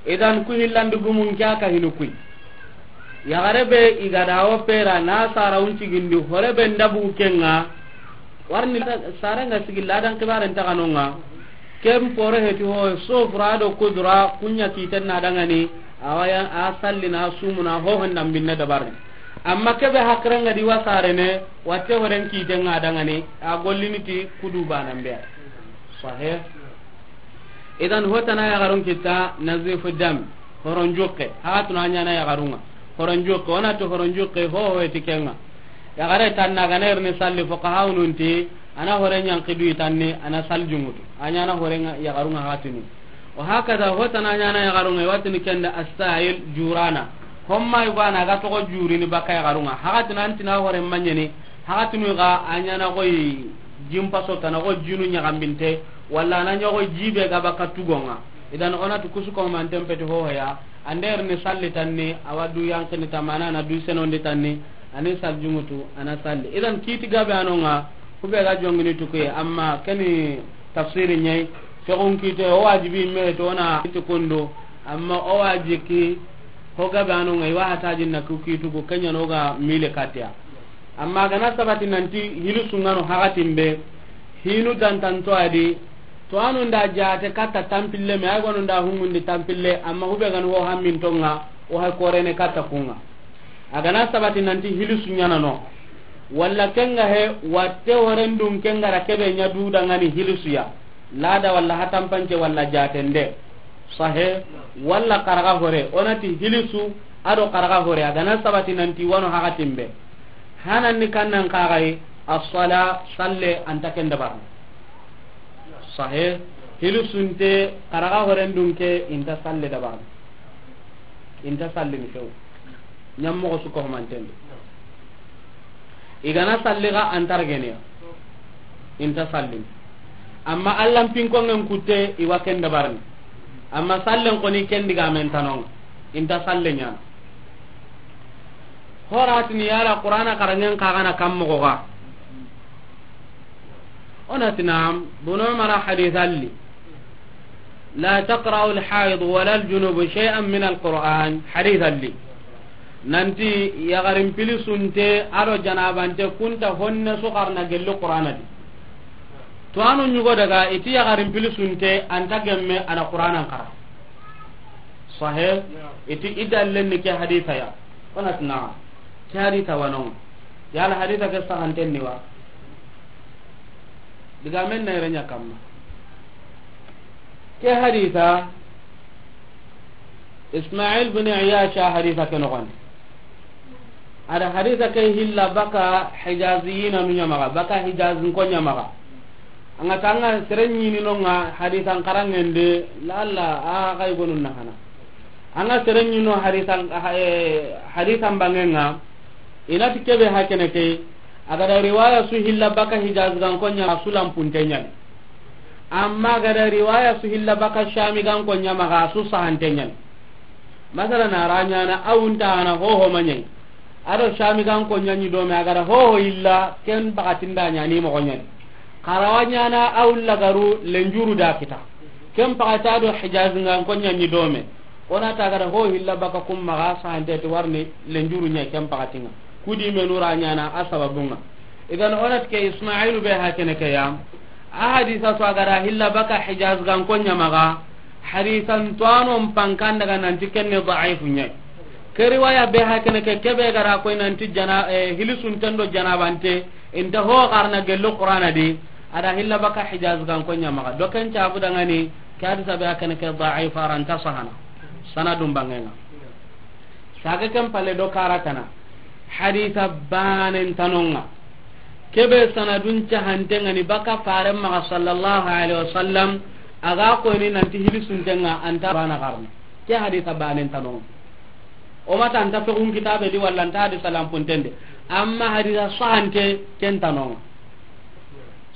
Idan ku hillandi gumun ke a ka hinu kuy. Yaxare be i ga da o pera na sara wun cigindi hore be ndabu ken ŋa. Warni sare ŋa sigi ladan kibaren ta xano ŋa. Ken pore heti ho sufra do kudra, ku ɲa kiiten na daŋani. A wa ya a sallina, sumuna, hohonda minne dabarni. Amma ke be haqire ŋa di wa sarene, watte horen kiiten ŋa daŋani, a gollini ti ku dubanan be ya. Sahe. Idan hotana yaxarun kita nazifu dam, horon juqe, haxatunu a ɲa na yaxarun ŋa. Horon juqe, o na ti horon juqe, ho, ho heti ken ŋa. Yaxare tanna ga na ri ni salli, fuqahaunun ti, a na hore ɲanki du i tanni, a na sal jungutu. A ɲa na hore ŋa, yaxarun ŋa haxatunu. Wa hakada hotana ɲa na yaxarun ŋa, i wa tini ken da asail jurana. Homma i bana ga toxo jurini baka yaxarun ŋa. Haxatunu an ti na hore maɲeni, haxatunu ga a ɲa na xoyi jimpaso tana, xo jinu ɲaxambinte. Walla a na ɲogo jibe ga baka tugon ŋa. Idan o na ti kusu ko manten peti hohoya. An da ri ni salli tanni, a wa du yanqini tamana, a na du senondi tanni, a ni sal jungutu, a na salli. Idan kiiti gabe a no ŋa, ku be ga jongini tukuye, amma keni tafsiri ɲa yi, fexun kiite, o wajibi me to na ti kundu, amma o wajibi ki, ho gabe a no ŋa, i wa hatajin na ku kiitugu, ken ɲa no ga mile katiya. Amma ga na sabati nanti hilisu ŋa no haxatin be, hinu dantanto a di, to anu nda jate katta tampille me, ay gonu nda humundi tampille, amma hube gani ho hamminto ŋa, o hay korene katta ku ŋa. A ga na sabati nanti hilisu ɲa na no. Walla ken ga he, watte horen dun ken ga ra ke be ɲa du daŋani hilisu ya. Lada walla hatampance walla jatende. Sahe, walla xaraga hore, o na ti hilisu, a do xaraga hore, a ga na sabati nanti wa no haxatin be. Hanan ni kannan xaxayi, as-sala, salle, an ta ken dabarni. Sahe, hilisunte, xaraga horen dun ke, i nta salle dabarni. I nta sallini few. Ɲammoxo su ko manten di. I ga na salli ga an targeniya. I nta sallini. Amma Allan pinkongen kutte, i wa ken dabarni. Amma sallen xoni ken digamen ta no ŋa. I nta salle ɲana. Horatini yala Qur'ana xaranŋen xaxana kam moxo ga. O na ti naam, Bunu Umara hadith alli. La taqra'u al-haid wala al-junub shay'an min al-Qur'an, hadith alli. Nanti yaxarin pilisunte a do janabante ku nta honne su xarana gelli Qur'ana di. To anu ɲugo daga i ti yaxarin pilisunte an ta gemme a na Qur'anan xara. Sahe, i ti i dallen ni ke haditha ya. O na ti naam. Ke hadisa wa no? Yala hadisa ke sahanten ni wa? Digamen na yere ɲa kamma. Ke hadisa, Ismail bin Iyash hadisa ke noxondi. A da hadisa ke hilla baka Hijaziyina nu ɲa maxa, baka Hijazin ko ɲa maxa. An ga ta an ga sere ɲini no ŋa hadisan xaranŋen de, lalla a xa yi gonu na hana. An ga sere ɲini no hadisan, eh, hadisan banŋen ŋa, i na ti ke be hakene ke, a ga da riwaya su hilla baka Hijaz gan ko ɲa, a su lanpunte ɲa ni. Amma a ga da riwaya su hilla baka Shami gan ko ɲa maxa, a su sahante ɲa ni. Masala na ra ɲaana, a wunta hana hoho ma ɲa yi. A do Shami gan ko ɲa ɲi do me, a ga da hoho illa, ken bakatinda ɲa ni moxo ɲa ni. Xarawa ɲaana, a wulla garu lenjuru da kita. Ken pakata do Hijaz gan ko ɲa ɲi do me. O na ta a ga da hoho illa baka kum maxa, sahante ti warni lenjuru ɲa ken pakatinŋa. Kudi me nu ra ɲaana a sababunŋa. Idan o na ti ke Ismailu be hakene ke ya. A hadisa to a ga da hilla baka Hijaz gan ko ɲa maxa, hadisan to a no n pankan daga nanti kenne daifu ɲa. Ke riwaya be hakene ke, ke be ga da ko nanti jana, eh, hilisunten do janabante, inta ho xarana gello Qur'ana di, a da hilla baka Hijaz gan ko ɲa maxa. Do ken cabu dangani, ke hadisa be hakene ke daifu, a ra nta sahana. Sanadun banŋen ŋa. Saga ken palle do karatana. Hadisa banen tanonŋa. Ke be sanadun cahanten ŋa ni baka fare maxa sallallahu alaihi wasallam. A ga ko ni nanti hilisunten ŋa anta bana xarana. Ke hadisa banen tanonŋa. O ma ta anta fexun kitabe di walla anta hadisa lanpunten de. Amma hadisa sahante ken tanonŋa.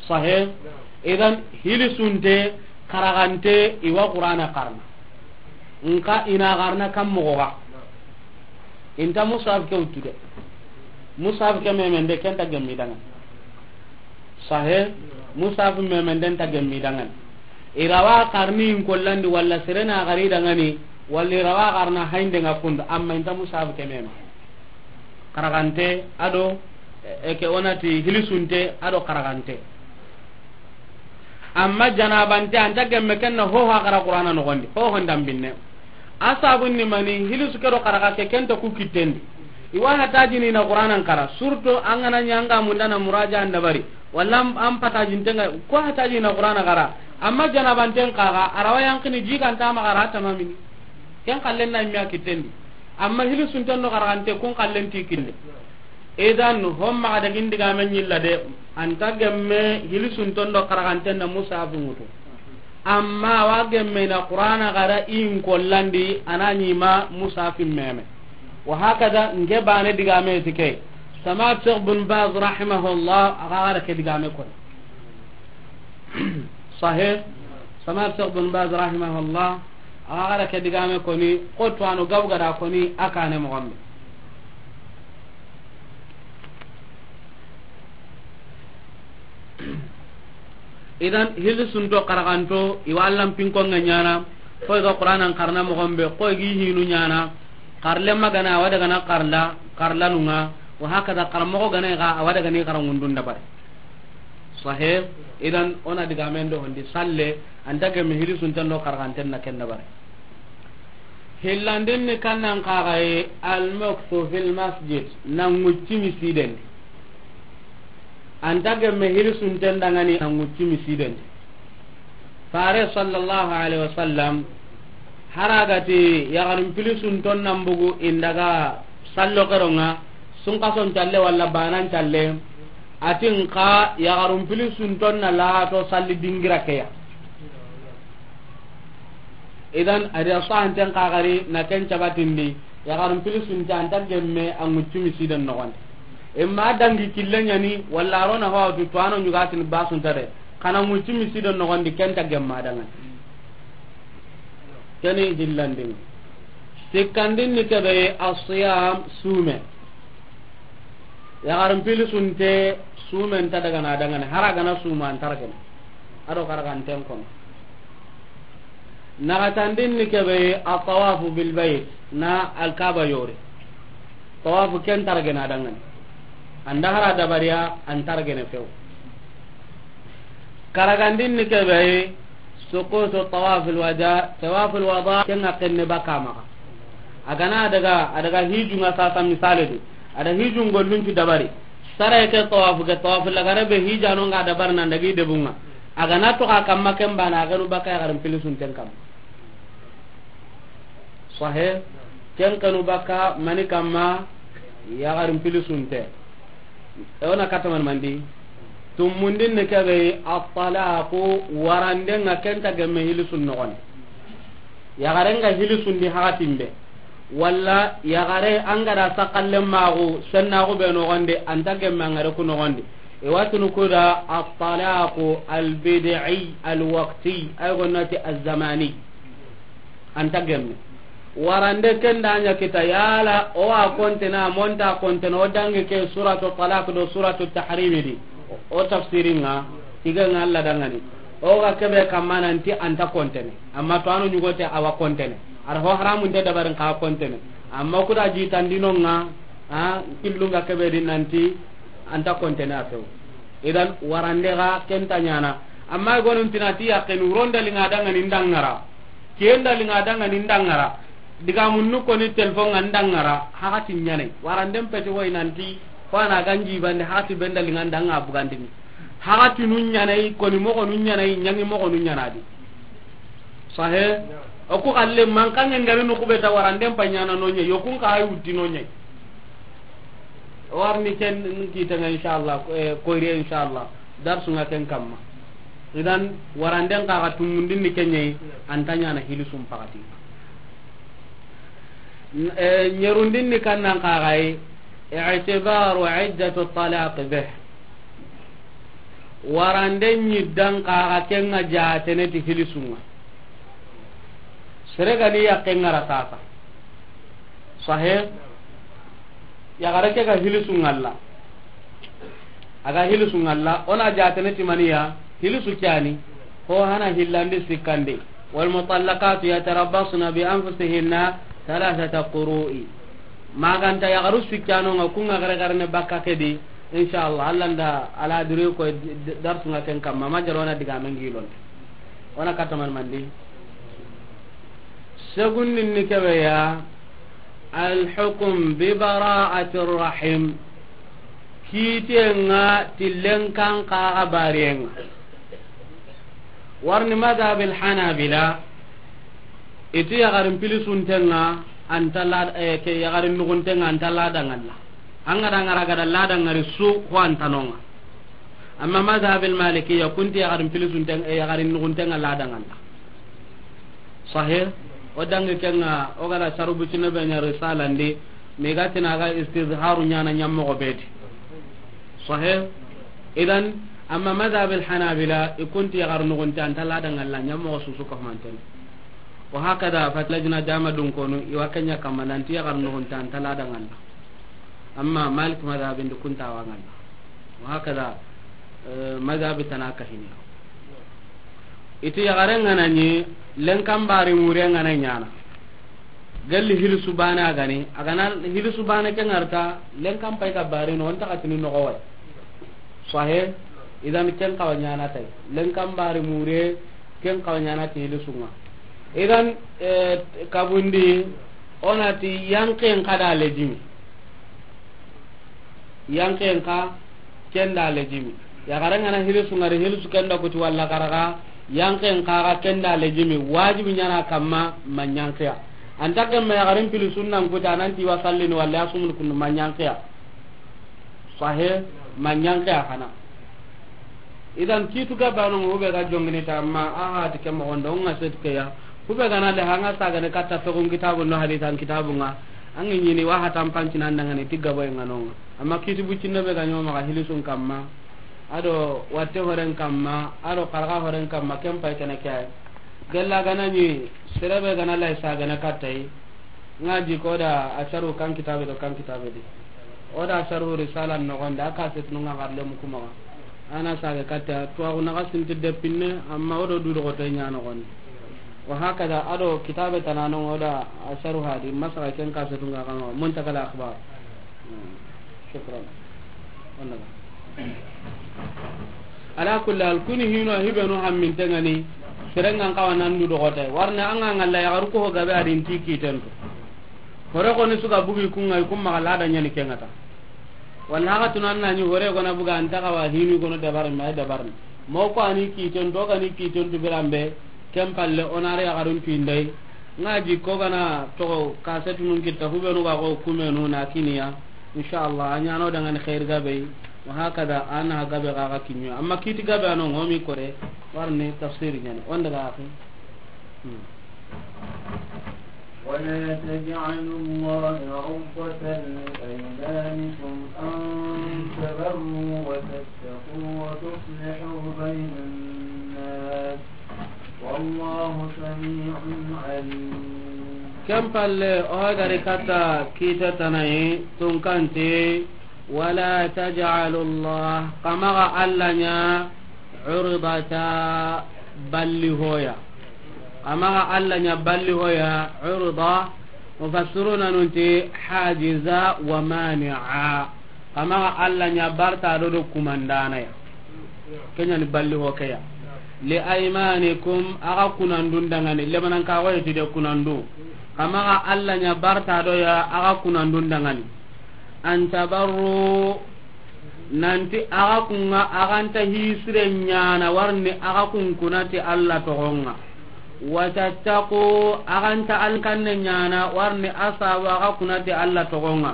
Sahe. Idan hilisunte, xaraxante, i wa Qur'ana xarana. Nka i na xarana kan moxo ga. Inta musaf ke wutu de. Musaf ke memende ken ta gemmi dangan. Sahe. Musaf memende nta gemmi dangan. I ra wa xarni in kollandi walla sere na xari dangani, walla i ra wa xarana haynde nga kundu, amma inta musaf ke mema. Xaraxante a do, e, ke o na ti hilisunte a do xaraxante. Amma janabante anta gemme ken na hoho a xara Qur'ana noxondi, hoho ndambinne. A sabun ni mani, hilisu ke do xaraxa ke ken ta ku kittendi. I wa hatajini na Qur'ana n xara, surtout an ga na ɲa an ga munda na muraja an dabari. Walla an, an patajinten ŋa, ko hatajini na Qur'ana xara. Amma janabanten xaxa, a ra wa yanqini jiganta maxa a ra tamamini. Ken xallen na i me a kittendi. Amma hilisunten do xaraxante kun xallen ti kille. Idan, hon maxa dagin digame ɲilla de, anta gemme hilisunten do xaraxanten na musafu ŋutu. Amma wa gemme na Qur'ana xara in kollandi, a na ɲi ma musafin meme. Wa hakada, nke bane digame ti ke. Samat Sheikh bin Baz rahimahullah, a ga gara ke digame koni. Sahih. Samat Sheikh bin Baz rahimahullah, a ga gara ke digame koni, ko to ano gabu gada koni, a kane moxo be. Idan, hilisunto xaraxanto, i wa Allan pinkonŋa ɲaana, koy ga Qur'anan xarana moxo be, koy gi hinu ɲaana, xarle magana, a wa daga na xarla, xarlanunŋa, wa hakada xaramoxo gana ga, a wa daga ni xarangundun dabari. Sahe, idan, o na digamen do hondi salle, anta gemme hilisunten do xaraxanten na ken dabari. Hillandin ni kannan xaxaye, al-mukthu fil masjid, na ŋucci misiden di. Anta gemme hilisunten dangani na ŋucci misiden di. Fare sallallahu alaihi wasallam, haragati yaxarun pilisunton nan bugu indaga sallo keronŋa, sunkason calle walla banan calle, atin xa yaxarun pilisunton na lato salli dingira keya. Idan, a da sahanten xaxari na ken cabatindi, yaxarun pilisunte anta gemme a ŋuccu misiden noxondi. Imma dangi kille ɲani, walla a ro na hawatu to ano ɲugatini basunta de, xa na ŋuccu misiden noxondi, ken ta gemma dangani. Keni hillandin. Sikkandin ni kebe, asiyam, sume. Yaxarin pilisunte, sumen ta daga na dangane, hara gana suma antaragene. Ado karaganten kono. Naxatandin ni kebe, atawafu bilbayt, na Alkaba yori. Tawafu ken taragena dangane. Anda hara dabariya, antaragene few. Karagandin ni kebe, sukutu tawafil wada, tawafil wada, ken ŋa kenne baka maxa. A gana daga, a daga hijunga sasa misale di. A da hijun gollun cu dabari. Sara ke tawafu ke, tawafu lagare be hijano nga dabari nan dagi debunga. A ga na to ka kamma ken bana, a ga nu baka yaxarin pilisunten kamma. Sahe, ken kanu baka mani kamma, yaxarin pilisunte. E wona kataman mandi. Tumundin ne kebe, at-talaqu, warande nga kenta gemme hilisun noxone. Yaxare nga hilisun di hakatin be. Walla yaxare an ga da sakallen maxu, sennaxu be noxondi, anta gemme an gare ku noxondi. I watunu kuda at-talaqu al-bid'i al-waqti, ay gonnati az-zamani. Anta gemme. Warande ken da ɲa kita yala, o wa kontena, monta kontena, o dangi ke suratu talaq do suratu tahrimi di. O tafsirin nga, tiga nga Allah dangani. O ga kebe kamma nanti anta kontene. Amma to anu ɲugote awa kontene. Ar ho haramun te dabarin ka kontene. Amma kuda jitandino nga, ha, killu nga kebe di nanti anta kontene a few. Idan warande ga kenta ɲana. Amma gonun tinati yaqin uronda linga dangani ndangara. Kenda linga dangani ndangara. Diga munnu koni telefon nga ndangara. Hakati ɲanai. Waranden peti woy nanti. Ko ana ganji bande hakati benda linga ndanga bugandini. Hakati nu ɲanai, koni moxo nu ɲanai, ɲangi moxo nu ɲanadi. Sahe? O ku xalle man kange ngari nu kubeta waranden pa ɲana no ɲe, yokun ka ay wutti no ɲe. Warni ken kitanga inshallah, eh, koyre inshallah. Darsu nga ken kamma. Idan waranden ka ga tumundin ni kenye, anta ɲana hilisum pakati. Eh, ɲerundin ni kannan ka ga yi, i'tibaru iddatu talaq bih. Warande ɲiddan kaxa kenga jatene ti hilisunga. Sere gani yakke ngara sasa. Sahe? Yaxare ke ga hilisunga la. A ga hilisunga la, o na jatene ti maniya, hilisu ke yani. Ho hana hillandi sikkandi. Wal mutallaqatu yatarabbasna bi anfusihinna thalathata quru'. Maganta yaxaru sikkanonga kunga gare gare ne bakka ke di. Inshallah, Allah nda ala dure ko d-, d-, darsunga ken kamma, ma jaro na diga men gilon. Wona kataman mandi. Segundin ni kebe ya, al hukm bi bara'ati rahim. Kitenga tillen kan kaxa bariyenga. Warni madhab al hanabila, iti yaxarin pilisuntenga, anta la, eh, ke yaxarin nuxuntenga, anta la dangalla. An ga da ngara ga da la dangari su, ko anta nonga. Amma madhab al malikiya, kunti yaxarin pilisuntenga, eh, yaxarin nuxuntenga la dangalla. Sahih? O dangi kenga, o ga da sarubu cine be ɲa risalandi, mi ga tina ga istizharu ɲana ɲammoxo beti. Sahih? Idan, amma madhab al hanabila, i kunti yaxar nuxunte anta la dangalla, ɲammoxo susu ka humanten. Wa hakada, fat lajna dama dun konu, i wa kenya kamma nanti yaxar nuxunte anta la dangalla. Amma Malik madhabin di kunta wanganda. Wa hakada, eh, madhabi tana kahini. Iti yaxare ngana ɲi, lenkan bari mure ngana ɲana. Galli hilisu bane a gani, a gana hilisu bane ke ngarta, lenkan pay ka bari no, onta katini no gowai. Sahe, idan ken kawa ɲana tay. Lenkan bari mure, ken kawa ɲana ti hilisunga. Idan, eh, kabundi, onati yanken kada lejimi. Yanken ka kenda lejimi. Yaxare ngana hilisu ngari hilisu kenda kuti walla karaga, yanken ka ga kenda lejimi. Wajibi ɲana kamma manyankiya. Anta kemme yaxarin pili sunnan kuti ananti wa sallini walla ya sumuni kundu manyankiya. Sahe manyankiya kana. Idan kitu ga bano mo be ga jongini ta ma a ha ti ke mo gondo nga set ke ya. Ku be gana le hanga sagane katta fegun kitabu no hadisan kitabu nga. Angi ɲini wa hatan panci nan dangani tigga boy nga nonga. Amma kitu bucinne be ga ɲoma ga hilisun kamma. Ado watte horen kamma, ado karga horen kamma, ken pay kene kay. Gella gana ni serebe gana lay sagane kattay. Nga di ko da asharu kan kitabe do kan kitabe di. O da asharu risala no gonda ka set no nga garle mu kuma. Ana sage katta to agu na gasin te depinne amma o do du do to nya no gon. Wa hakada ado kitabe tanano o da asharu hadi masaka ken ka set nga kama muntakal akhbar. Shukran. Ala kulli hal, kuni hino hibenu hammintengani. Serengan kawa nandu dogote warne anga ngalla yagaru ko gabe adin tiki tentu. Hore koni suga bugi kunga kum magala da nyani kengata. Walla haxa tuna na ɲi hore gona buga anta xawa hinu gono dabar ma dabar. Mo ko ani kiten to gani kiten tu birambe. Ken palle onare ya garun tu indai. Nga ji ko gana to kasetu nun kitta hubenu ga ko kumenu na kiniya. Inshallah, a ɲano dangani xeeri gabe, wa hakada, a na gabe ga ga kiɲo. Amma kiti gabe ano ngomi kore, warni tafsiri ɲani. Wanda ga axi. Hmm. ولا تجعلوا الله عرضة لأيمانكم أن تبروا وتتقوا وتصلحوا بين الناس والله سميع عليم. Ken palle, o gari kata kita tanayi, tunkanti, ولا تجعلوا الله, xa maxa Alla ɲa, عرضة, balli hoya. Xa maxa Alla ɲa balli hoya, عرضة, mufassiruna nunti, حاجزا ومانعا. Xa maxa Alla ɲa barta do do kumandana ya. Ken ɲani balli ho ke ya. لأيمانكم, axa kunandun dangani, lemanan ka go heti de kunandu. Xa maxa Alla ɲa barta do ya, axa kunandun dangani. أن تبروا, nanti axa kunga, axa nta hisire ɲana, warni axa kun kunati Alla toxonga. وتتقوا, axa nta alkanne ɲana, warni asabu axa kunati Alla toxonga.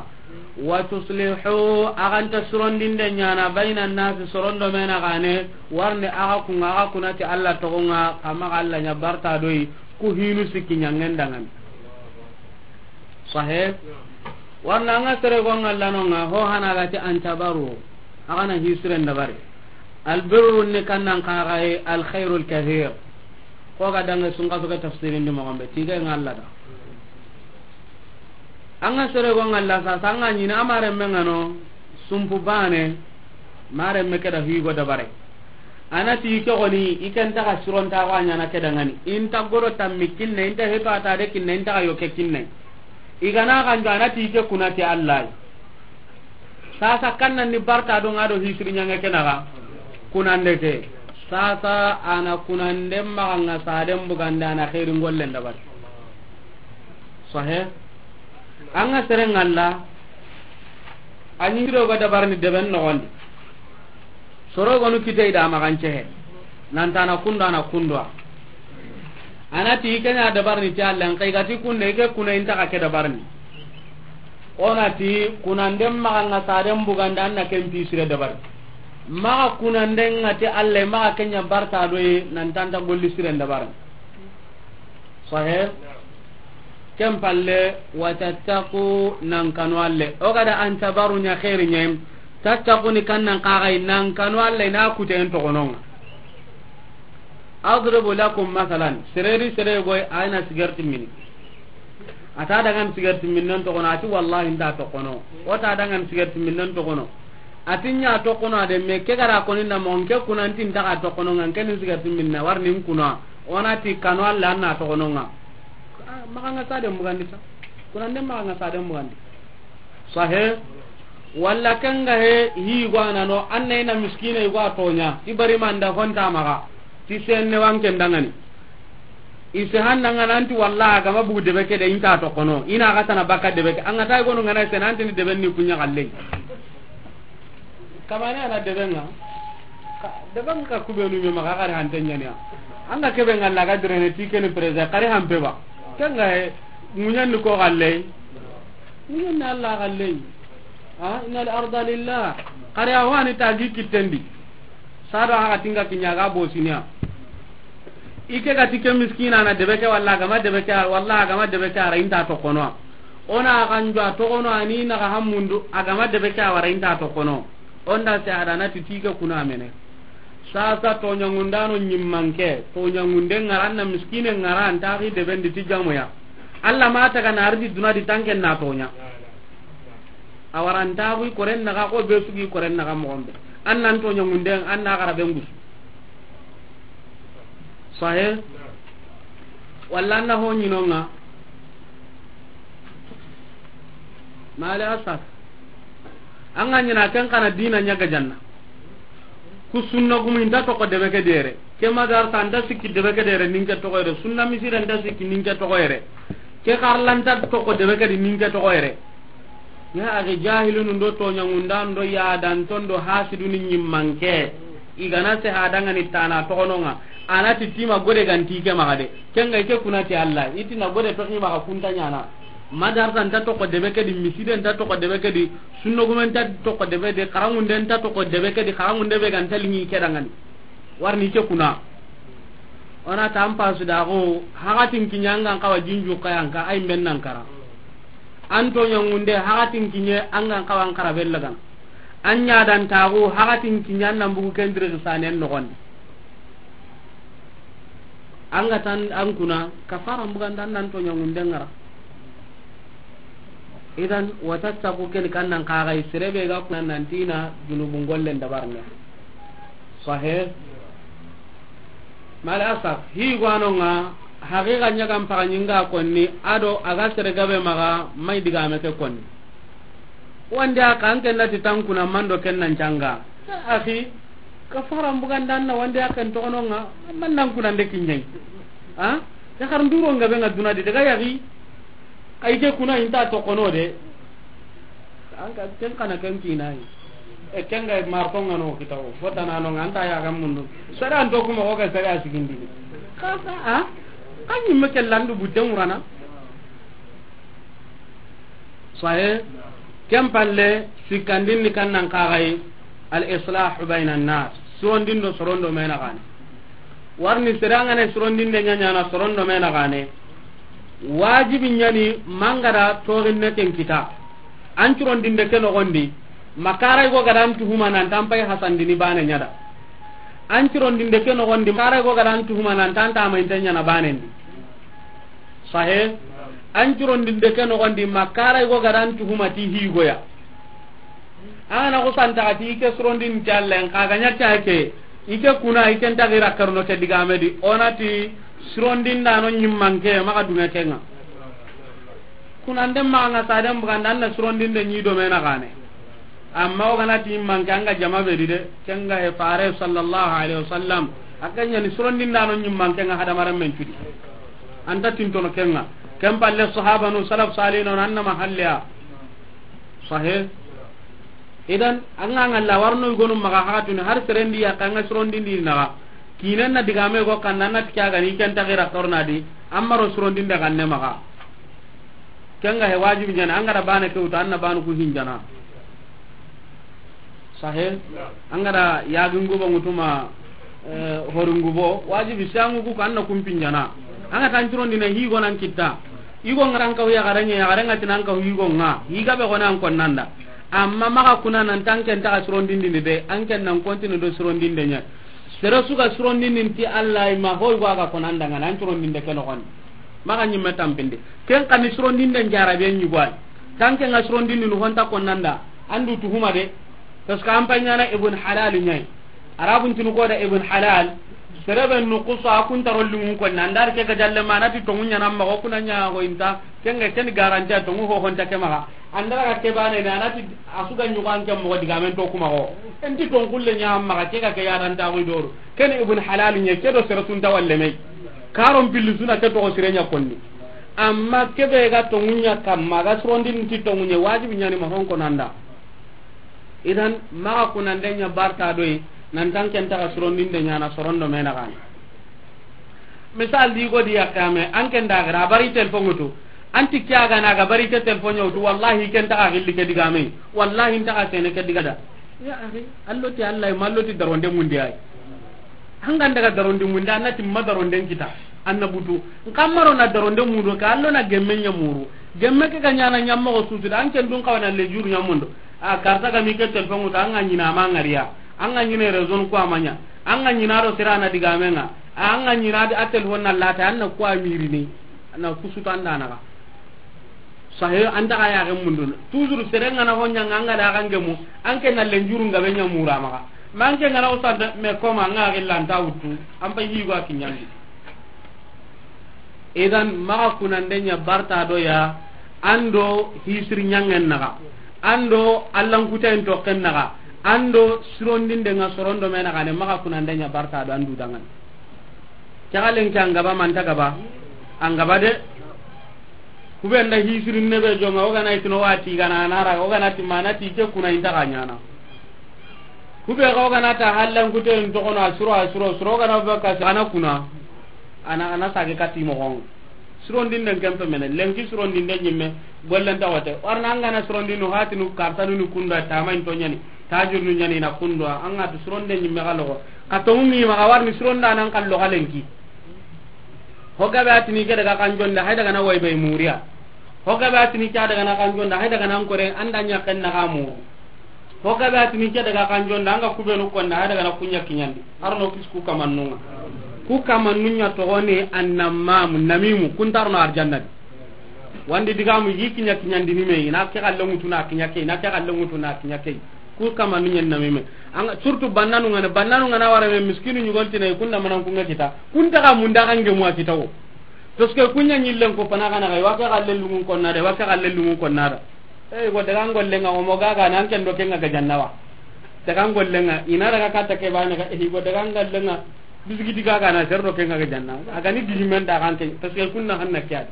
وتصلحوا, axa nta surondinde ɲana, بين الناس, sorondo mena gane, warni axa kunga, axa kunati Alla toxonga, xa maxa Alla ɲa barta doyi, ku hinu sikki ɲangen dangani. Sahe? Warna anga sere gonga lanonga, ho hana gati أن تبروا. Axa na hisiren dabari. البر ni kannan kaxaye الخير الكثير. Ko ga dange sunga soke tafsirin di mogombe. Tiga nga Alla da. Anga sere gonga la sa, sanga ɲini amare mengano, sumpu bane, mare me keda higo dabare. Anati ke goni, iken taga suronta wa ɲana keda ngani. Inta goro tammi kinne, inta heto ata de kinne, inta ga yoke kinne. Igana ganjo anati ke kunati Allah. Sasa kanna ni barta do ngado hisri ɲange kenaga. Kunande ke. Sasa ana kunande maga nga saden bugande ana khairin gollen dabari. Sahe. Anga sere ngalla. Anyi do ga dabarni deben no gondi. Soro gonu kitey da magancehe. Nanta na kundo, ana kundo. Anati kenya dabarni ti Allah, kai gati kunde ke kuna inta ka ke dabarni. Onati kunande maga nga saden bugande anna ken pisire dabari. Maga kunande nga ti Allah, maga kenya barta doye, nantanta golli siren dabarni. Sahe. Ken palle, وتتقوا, nan kanu Alla. O gada أن تبروا ɲa khairin ɲa. تتقوا ni kannan kagai, nan kanu Alla, na kuten togononga. أضرب لكم مثلا, sereri sere goy, ayna sigarti mini. Ata dangan sigarti minnen togono, ati wallahi nta togono. O ta dangan sigarti minnen togono. Ati ɲa togono ade, me ke gara koni na mo, nke kunanti nta ka togono, nga nke ni sigarti minna, warni kuna. Onati kanu Alla anna togononga. Ah, maga nga saden bugandi sa. Kunande maga nga saden bugandi. Sahe. Walla kenga he hi gwana no, anna ina miskina igwa tonya. Ibari manda honta maga. Ti senne wanken dangani. Ise handa nga nanti walla agama bugu debe ke de inta togono. Ina ga tana baka debe ke. Anga tay gonu ngana ise nanti ni debe ni kunya galle. Kamane ana debe nga. Ka, debe nga kubenu me maga kare hantenya ni. Anga kebe nga laga direne ti keni preza kare hampe ba. Kenga he munyan ni ko galle. Munyan ni Allah galle. Ha, innal arda lillah. Kare awani tagi kitendi. Sado haga tinga kinya ga bosinya. Ike ga tike miskina na debe ke walla gama debe ke walla gama debe ke ara inta togono. Ona ganjo togono ani na ga hamundu agama debe ke awara inta togono. Onda se ada na titike kuna mene. Sasa toɲangundano ɲimmanke, toɲangunde ngara anna miskine ngara anta gi debendi ti jamoya. Allah ma taga na ardi duna di tanken na toɲa. Awara anta gi koren naga ko be sugi koren naga mogombe. Annan toɲangunde anna gara bengus. Sahe. Walla anna ho ɲinonga. Male asaf. Anga ɲina ken kana dina ɲaga janna. Ku sunna gumu inta togo debe ke dere. Ke madarsa anta sikki debe ke dere ninke togo yere. Sunna misira anta sikki ninke togo yere. Ke karlanta togo debe ke di ninke togo yere. Ya axi, jahilunu ndo toñaŋundan ndo yadanton do hasiduni ñimmanke. I ga na se hadangani tana toxononŋa. A na ti tima gode ga nti ke maxa de. Ken ga i ke kuna ti Allah. I ti na gode toxi maxa kunta ñaana. Madarasa nta toxo debe ke di, miside nta toxo debe ke di, sunnogume nta toxo debe de, xaranŋunde nta toxo debe ke di, xaranŋunde be ga nta liŋi ke dangani. Warni ke kuna. O na ta an pasu da xo, haxatin kiñe an ga n xawa jinju kayanka, ay mben nan kara. An toñaŋunde, haxatin kiñe an ga n xawa an xara bellagana. An ñadantaxu, haxatin kiñe an nan bugu kendiri xisanen noxondi. An ga tan an kuna, kafara mbuganda an nan toñaŋunde ŋara. Idan, watattaku ken kan nan kaxay, serebe ga kuna nan tina junubun gollen dabarne. Sahe. Mal asaf, hi gwanonŋa, haqiqa ñagan paga ñinga konni, ado a ga sere gabe maxa, may digame ke konni. Wande a kan ken na ti tankuna mando ken nan canga. Axi, kafara mbuganda an na wande a ken toxononŋa, man nan kuna nde kiñay. Ha? Ya xar nduro ngabe nga duna di daga yaxi. Ay ke kuna inta toxono de. An ka ken kana ken kinay. E ken ga marto ngano kitawo. Fotana no nganta ya ga mundu. Sara an to kuma ko ga sara sigindi. Ka ka, ha? Kan yimme ke landu budde murana. Sahe, ken palle, sikkandin ni kan nan kaxay, al islahu bayna nas, surondin do sorondo mena gane. Warni sere an ga na surondinde ñañana sorondo mena gane. Wajibi ñani mangada toxinne ken kita. An curondinde ke noxondi, makaray go gadan tuhuma nan tampay hasandini bane ñada. An curondinde ke noxondi, makaray go gadan tuhuma nan tanta mayinte ñana banendi. Sahe, an curondinde ke noxondi, makaray go gadan tuhuma ti higoya. An ga na xusantaxa ti i ke surondin ti Alla, xa ga ña ti a ke, i ke kuna, i ke nta gira karno ke digame di, o na ti surondindano ñimmanke, maxa dunge kenŋa. Kuna nde maxa nga saden buganda, an na surondinde ñi do mena gane. Amma o ga na ti manke an ga jama be di de, ken ga he fare sallallahu alaihi wasallam. A ga ñani surondindano ñimmanke nga hadamaren men cudi. Anta tintono kenŋa. Ken palle sahabanu, salaf salihino, an na mahalleya. Sahe. Idan, an ga ngalla warno gonu maxa haxatuni har serendi ya kan ga surondindi naxa. Kinen na digame go kan nan na ti ke a ga ni ken ta gira torna di, amma ro surondinde ganne maxa. Ken ga he wajibi ñani, an ga da bane ke wutu, an na banu ku hinjana. Sahe, an ga da yagin gubo ŋutuma, eh, horin gubo, wajibi sangu ku kan na kumpinjana. An ga tan curondine higo nan kitta. Higo nga ran ka huya garanye, ya garanga tinan ka higo nga. Higa be gona an konnanda. Amma maxa kuna nan tanken ta surondindini de, an ken nan kontinu do surondinde ña. Sere su ga surondindin ti Alla ma hoy go ga konanda nga nan surondinde ke noxon. Maxa ñimme tampindi. Ken xa ni surondinde jarabe ñi goy. Tanke nga surondinde nu honta konnanda. Andu tuhuma de. Parce que an pay ñana Ibn Halal ñay. Arabun tinu ko da Ibn Halal. Serebe nu kusa kun taro lungun ko nan dar ke ga jalle manati tongu ñana ma ko kuna ña ko inta. Ken ga ken garanti tongu ho honta ke maxa. Andara ga ke bane na nati asuga ñugo an ke mo digamen to kuma ko. Enti tongulle ña maxa ke ga ke ya dan ta ko doru. Ken Ibn Halal ñe ke do sere sun ta walle me. Karon pilli suna ke to sire ña konni. Amma ke be ga tongunya kamma ga surondin ti tongunye wajibi ñani ma hon konanda. Idan maxa kunande ña barta doy nan tanken ta surondinde ñana sorondo mena gane. Misal di go di yakame an ken da gara bari telefon wutu. Anti kya ga na ga bari ke telefon wutu wallahi ken ta gilli ke digame. Wallahi nta sene ke digada. Ya akhi, allo ti Allah, ma allo ti daronde mundi ay. An ga daga daronde mundi, an na ti ma daronden kita. An na butu. Nka maro na daronde mudo ka allo na gemme ña muru. Gemme ke ga ñana ñamma ko sutu da an ken dun kawana le juru ñamundo. A karta ga mi ke telefon wutu an ga ñina ma ngariya. An ga ñine raison ko amanya. An ga ñina do sira na digame nga. An ga ñina di a telefon na lata an na ko amirini. Na kusutu an da na ga. Sahe, an ta ga ya ga mundun. Toujours sere nga na honya nga, nga da ga ngemu. An ke na lenjuru nga be nya mura maxa. Ma an ke nga na usanta me koma nga ga lanta wutu. An pa yi go a kinyandi. Idan maxa kunande ña barta do ya. Ando hisir ñangen naxa. Ando allan kutayen token naxa. Ando sirondinde nga sorondo me naxa ne maxa kunande ña barta do andu dangan. Cagalen ke an gaba manta gaba. An gaba de. Ku be nda hisirin ne be jonŋa, o ga na i tini o wa ti gana, a na ra, o ga na ti ma na ti ke kuna i nta ga ɲaana. Ku be ga o ga na ta hallan kuten toxo no, a suro, a suro, suro o ga na ba ka, a na kuna. A na, a na sage kati moxon. Surondinden ken pe mene, lenki surondinden ɲimme, gollen ta wate. Warna an ga na surondinu hatinu kartanu ni kunda tamain to ɲani, tajirnu ɲani na kunda, an ga tu suronden ɲimme ga loxo. Ka tonŋu ŋi maxa warni suronda nan kallo ga lenki. Ho gabe a tini ke daga kan jonda, hay daga na way bay muriya. Ho gabe a tini ke daga na kan jonda, hay daga nan kore, an da ɲa ken na ga mu. Ho gabe a tini ke daga kan jonda, an ga ku be nu konna, hay daga na ku ɲa kiɲandi. Arno kis ku kamannun ŋa. Ku kamannun ɲa toxo ni annamam, namimu, kun ta arno arjanna di. Wandi digamu yi kiɲa kiɲandini me, i na ke xalle ŋutu na kiɲa ke, i na ke xalle ŋutu na kiɲa ke. Ku kamanu ɲen na me me. An, surtout bannanu ŋa na, bannanu ŋa na wara me miskinu ɲugon tine, kun da manan kun ŋa kita. Kun ta ga munda kan ge mu a kita wo. Parce que kun ɲa ɲillen ko pana kana ga, wa ke xalle lungun konna de, wa ke xalle lungun konna da. E, go daga ngollen ŋa, o mo ga ga nan ken do ken ŋa ga janna wa. Daga ngollen ŋa, i na daga kata ke bane ga, e, go daga ngollen ŋa. Bisigiti ga ga na serro ke ŋa ga janna. A ga ni digi men da kan ke, parce que kunna hanna kya.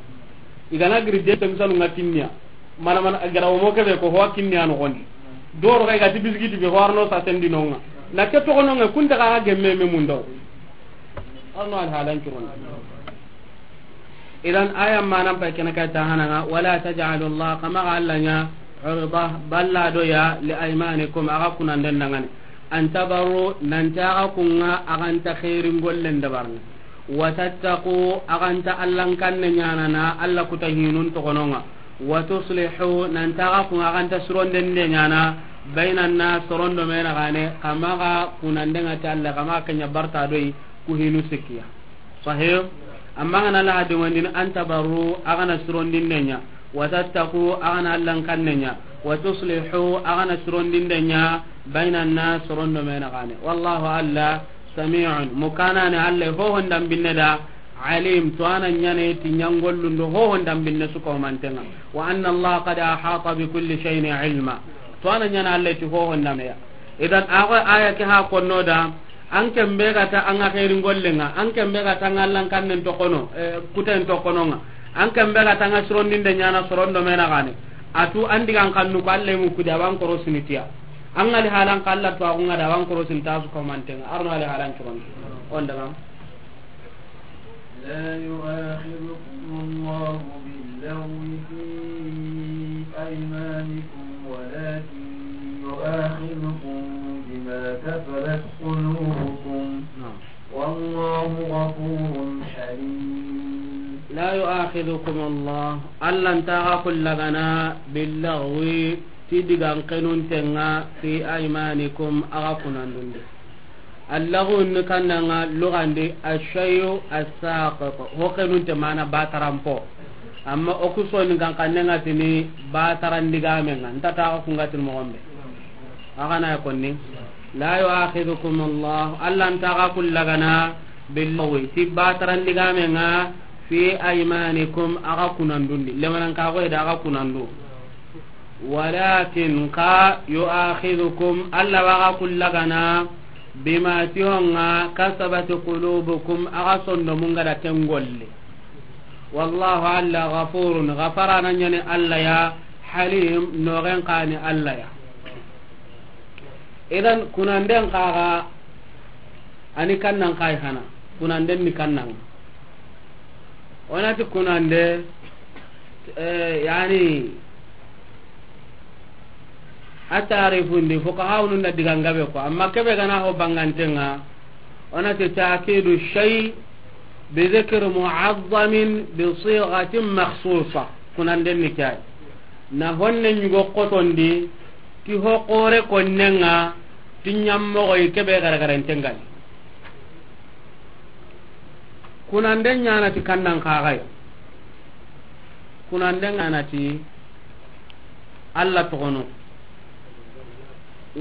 I ga na giri de tem sanu ŋa kinniya. Mana mana a ga ra o mo ke be ko ho kinniya no gondi. Doro ga i ga ti bisigiti be ho arno sa sendi no ŋa. Na ke toxo no ŋa kun ta ga gemme me mundo. Arno al halan curon. Idan aya manan pay kene kay ta hananga, "Wala taj'alu Allah," kama ga Allah ɲa, "urda," balla do ya, "li aymanikum," a ga kunanden dangani. "An tabarru," nan ta ga kunŋa, a ga nta khairin gollen dabarni. "Wa tattaqu," a ga nta Allah kanne ɲaana na, Allah kuta hinun toxo no ŋa. "Wa tuslihu," nan ta ga kunŋa, a ga nta suronden de ɲaana, "baynan nas," sorondo me na gane, kama ga kunanden ŋa ti Allah, kama ga ken ɲa barta do yi, ku hinu sikkiya. Sahih. Amma an ga na la hadin wandini, "An tabarru," a ga na surondinde ɲa, "wa tattaqu," a ga na Allah kanne ɲa, "wa tuslihu," a ga na surondinde ɲa, "baynan nas," sorondo me na gane. Wallahu, Allah, sami'un, mukanane Allah, ho hondan binne da, alim, to a na ɲaana ti ɲangollundo, ho hondan binne su ko mantenŋa. "Wa anna Allah qad ahata bi kulli shay'in ilma." To a na ɲaana Allah ti ho hondan ya. Idan a go aya ke ha konno da, An ken be ga ta an ga xeerin gollen ŋa, an ken be ga ta an ga Allah kannen toxo no, eh, kuten toxo no ŋa. An ken be ga ta an ga surondinde ɲaana sorondo me na gane. A tu an digan kannu ko Allah mu kudi a wa an korosini tiya. An ga li halan ka Allah to a gunga da a wa an korosini ta su ko mantenŋa. Arno ali halan curon. On daga. لا يؤاخذكم الله باللغو في أيمانكم ولكن يؤاخذكم بما كسبت قلوبكم. نعم. والله غفور حليم. لا يؤاخذكم الله، Allah nta xa kullagana, باللغو، ti digan xenunten ŋa, في أيمانكم، a xa kunandun di. Allaxu ni kannanga lugandi, ashayu asaqit. Ho xenunte mana bataranpo. Amma o ku soni gan kanne ŋa tini bataran digame ŋa. Nta ta xa kunga tini moxon be. A xa na ya konni. لا يؤاخذكم الله، Allah nta xa kullagana, باللغو، ti bataran digame ŋa, في أيمانكم، a xa kunandun di. Lemanan ka go da a xa kunandu. ولكن، xa, يؤاخذكم، Allah wa xa kullagana, بما، ti honga, كسبت قلوبكم، a xa sondomun ga da ken golle. والله، Allah, غفور، gafarana ɲani Allah ya, حليم، noxen xa ni Allah ya. Idan, kunanden xa ga, a ni kannan xa yi hana, kunanden ni kannan. O na ti kunande, eh, yani, a tarifundi, fuqahaunun da digan gabe ko, amma kebe ga na ho banganten ŋa, o na ti تأكيد الشيء بذكر معظم بصيغة مخصوصة. Kunanden ni ke yi. Na honne ɲugo xotondi, ti ho xore konnen ŋa, ti ɲammoxoyi kebe garagarenten ga ni. Kunande ɲaana ti kannan xa ga yi. Kunande ŋa na ti Allah toxono.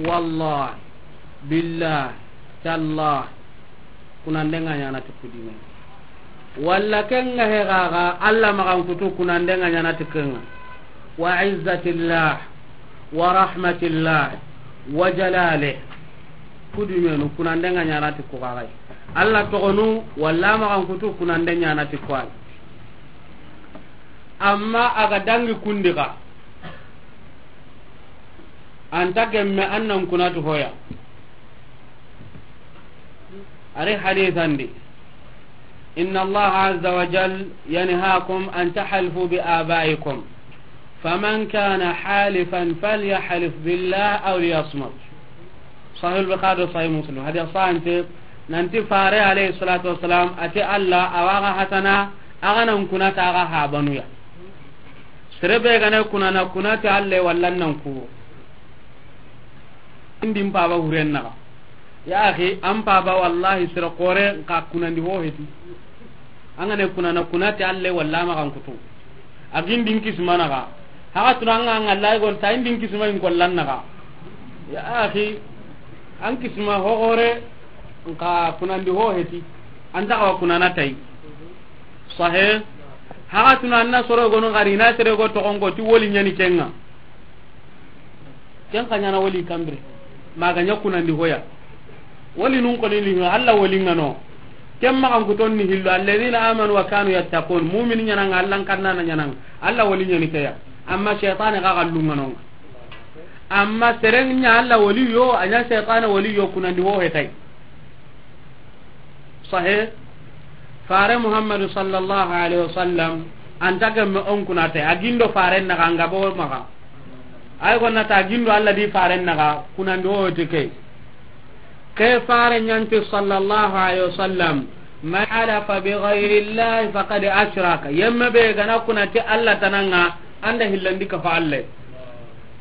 Wallah, billah, tallah. Kunande ŋa ɲaana ti kudime. Walla ken ŋa he ga ga Allah maxan kutu, kunande ŋa ɲaana ti ken ŋa. وعزة الله ورحمة الله وجلاله. Kudimenu, kunande ŋa ɲaana ti ku xa ga yi. Allah toxonu, walla maxan kutu, kunande ɲaana ti ku xa ga yi. Amma a ga dangi kundi ga, an ta gemme an nan kunati hoya. A ri hadisan di, إن الله عز وجل ينهاكم أن تحلفوا بآبائكم، فمن كان حالفا فليحلف بالله أو ليصمت. Sahih Bukhari, Sahih Muslim. Hadiya sante, nanti fare alayhi salatu wassalam, ati Allah, awa ga hatana, a ga nan kunati a ga habanuya. Sere be ga na kunana, kunati Allah walla nan ku. Indin paba huren naga. Ya akhi, an paba wallahi sere kore ka kunandi ho heti. An ga ne kunana, kunati Allah walla ma kan kutu. A gindin kismana ga. Haga tuna an ga, an ga Allah gon ta indin kisma in kollan naga. Ya akhi, an kisma ho gore ka kunandi ho heti. An ta ga kunana tai. Sahe. Haga tuna an na soro gono gari na sere go to gongo ti woli nyani kenga. Ken ka ɲana wali kanbire. Maga ɲa kunandi hoya. Wali nun koni ni Allah wali ngano. Ken magan kuton ni hillo, الذين آمنوا وكانوا يتقون. Mu'mini ɲana nga, Allah kanna na ɲana nga. Allah wali ɲani keya. Amma shaytan ga gallu ngano. Amma seren ɲa Allah wali yo, a ɲa shaytan wali yo, kunandi ho hetai. Sahe. Fare Muhammadu sallallahu alaihi wasallam, an ta gemme on kunate, a gindo faren naga, an ga bo maga. Ay gonna ta gindo Allah di faren naga, kunandi ho te ke. Ke fare ɲanti sallallahu alaihi wasallam, من حلف بغير الله فقد أشرك. Yemme be ga na kunati Allah tananga, an da hillandi kafa Allah.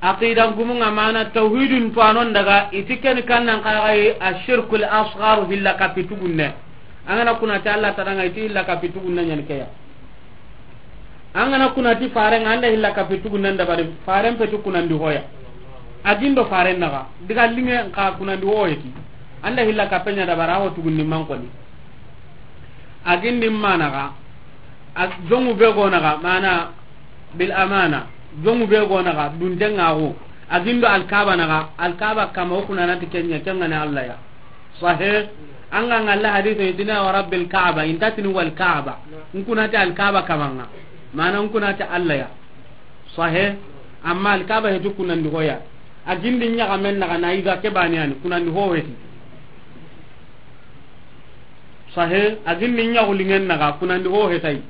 Aqida gumunga mana tawhidin tuwanon daga, iti ken kannan kagai ashirkul asghar, hilla kapitugunne. An ga na kunati Allah tananga, iti hilla kapitugunne ɲani keya. An ga na kunati faren, an da hilla kapitugunne dabari, faren petu kunandi hoya. A gindo faren naga, diga linge ka kunandi ho heti. An da hilla kapenya dabara ho tugunni man koni. A gindi managa, a jongu be gonaga, mana bil amana, jongu be gonaga, dundengago, a gindo Alkaba naga, Alkaba kama o kunanati kenya, kengane Allah ya. Sahe, an ga ngalla hadithu, idina wa rabbil Kaaba, intatini wal Kaaba, nkunati Alkaba kamanga, mana nkunati Allah ya. Sahe, amma Alkaba hetu kunandi hoya. A gindi ɲaga men naga na iga ke baniyani, kunandi ho heti. Sahe, a gindi ɲaxu lingen naga, kunandi ho hetai.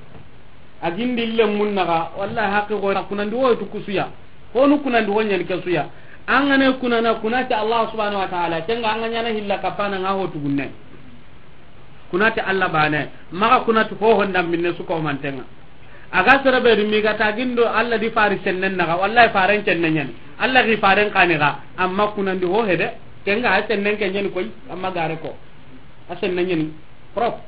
A gindi lemmun naga, wallahi haqqi go, kunandi ho hetu kusuya. Honu kunandi ho ɲani kesuya. An ga ne kunana, kunati Allah subhanahu wa ta'ala, kenga an ga ɲana hilla kapana nga ho tugunne. Kunati Allah bane, maga kunati ho honda minne su ko mantenga. A ga sere be dumi ga ta gindo Allah di fari sennen naga, wallahi faren sennen ɲani. Allah di faren kaniga, amma kunandi ho hede, kenga a sennen ke ɲani koy, amma gare ko. A senne ɲani. Prop.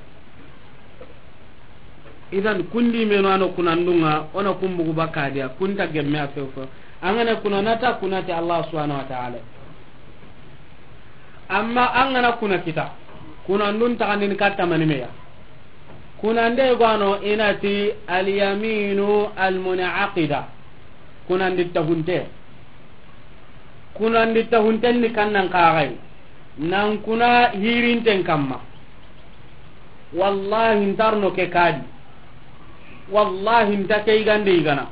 Idan kundi meno ano kunandunga, ona kumbugu bakadiya, kunta gemme a fewfo. An ga na kunanata kunati Allah subhanahu wa ta'ala. Amma an ga na kuna kita, kunandun tagandini katta manimeya. Kunande gwano inati al-yaminu al-munaqida. Kunandi tahunte. Kunandi tahunten ni kannan kagai. Nan kuna hirinten kamma. Wallahi ntarno ke kadi. Wallahi nta ke igande igana.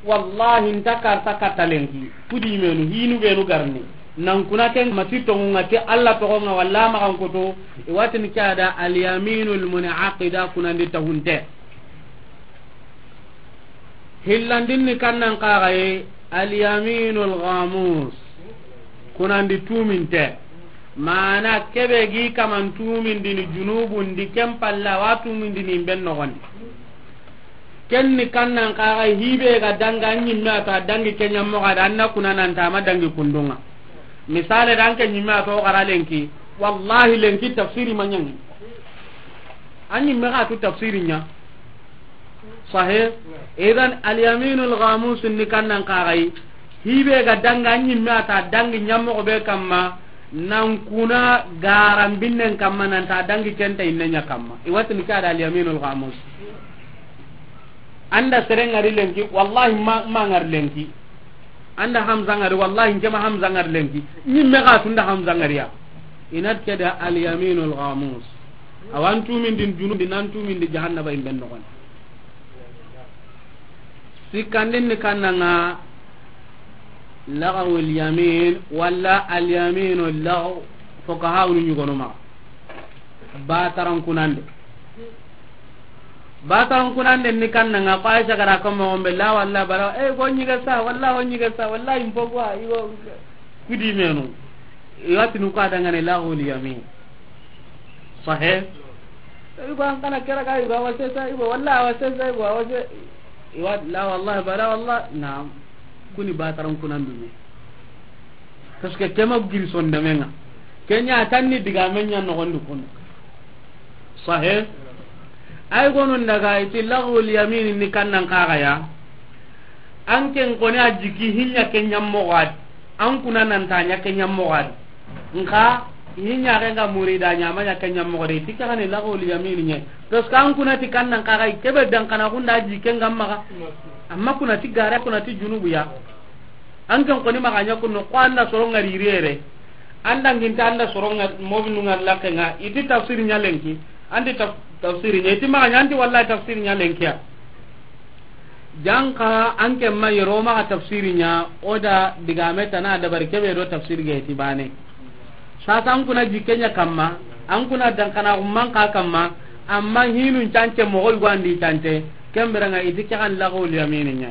Wallahi nta karta katta lenki. Kudi menu hinu benu garni. Nan kuna ken mati tongunga ti Allah togonga walla magan koto. Iwatini kada al-yaminul munaqida, kunandi tahunte. Hillandin ni kannan kagaye, al-yaminul ghamus. Kunandi tuminte. Mana kebe gi kaman tumindini junubun di, ken palla wa tumindini ben nogondi. Ken ni kannan kagaye, hibe ga danga nyimme ata dangi kenya moga da anna kuna nanta ma dangi kundunga. Misale dan ke nyimme ato gara lenki. Wallahi lenki tafsiri manyangi. Anyimme ga tu tafsiri nya. Sahe. Idan al-yaminul ghamus ni kannan kagai. Hibe ga danga nyimme ata dangi nyammo be kamma, nan kuna garan binnen kamma, nan ta dangi kenta innenya kamma. Iwatini kada al-yaminul ghamus. Anda serengari lenki, wallahi ma, ma ngar lenki. Anda Hamza ngari, wallahi nkema Hamza ngari lenki. Nyimme ga tunda Hamza ngari ya. Inat keda al-yaminul ghamus. Awan tumindin junubun di, nan tumindi jahannaba imben nogon. Sikkandin ni kannanga, lagawul yamin, walla al yaminu lagaw, fo ka hawnu ñugono maxa. Bataran kunande. Bataran kunande ni kannanga, ko Aisha gara ko mo gombe, la walla bara, e, go ñige sa, walla go ñige sa, walla impo gwa, igo kudi menu. Iwatinu ko adangane lagawul yamin. Sahe. Igo an kana kera ga igo awase sa, igo walla awase sa, igo awase. Iwa, la wallah, bara wallah, naam. Kuni bataran kunan dume. Parce que kema giri sondamenga. Kenya tanni diga menya no gondu kun. Sahe. Ay gonun daga iti lagawul yamin ni kannan kaga ya. An ken koni a jiki hinya kenya mogad. An kuna nan ta nya kenya mogad. Nka, hinya renga murida nya ma nya kenya mogad. Ti kagani lagawul yamin nye. Parce que an kuna ti kannan kaga kebe dan kana kunda jike ngamma. Amma kuna ti gara kuna ti junubu ya. An kan koni maxa ña kunno, ko anda soronga ririere. Anda nginta anda soronga mobinu ngar lakenga, iti tafsir ñalenki. Andi taf-, tafsir ña, iti maxa ña, anti wallahi tafsir ñalenkiya. Janka an ke ma yero maxa tafsir ña, oda digame tana dabari kebe do tafsir ge ti bane. Sasa an kuna jikke ña kamma, an kuna dankana umman ka kamma, amma hinun cance moxo yugo andi cance, kemberanga iti ke kan lagawul yamini ña.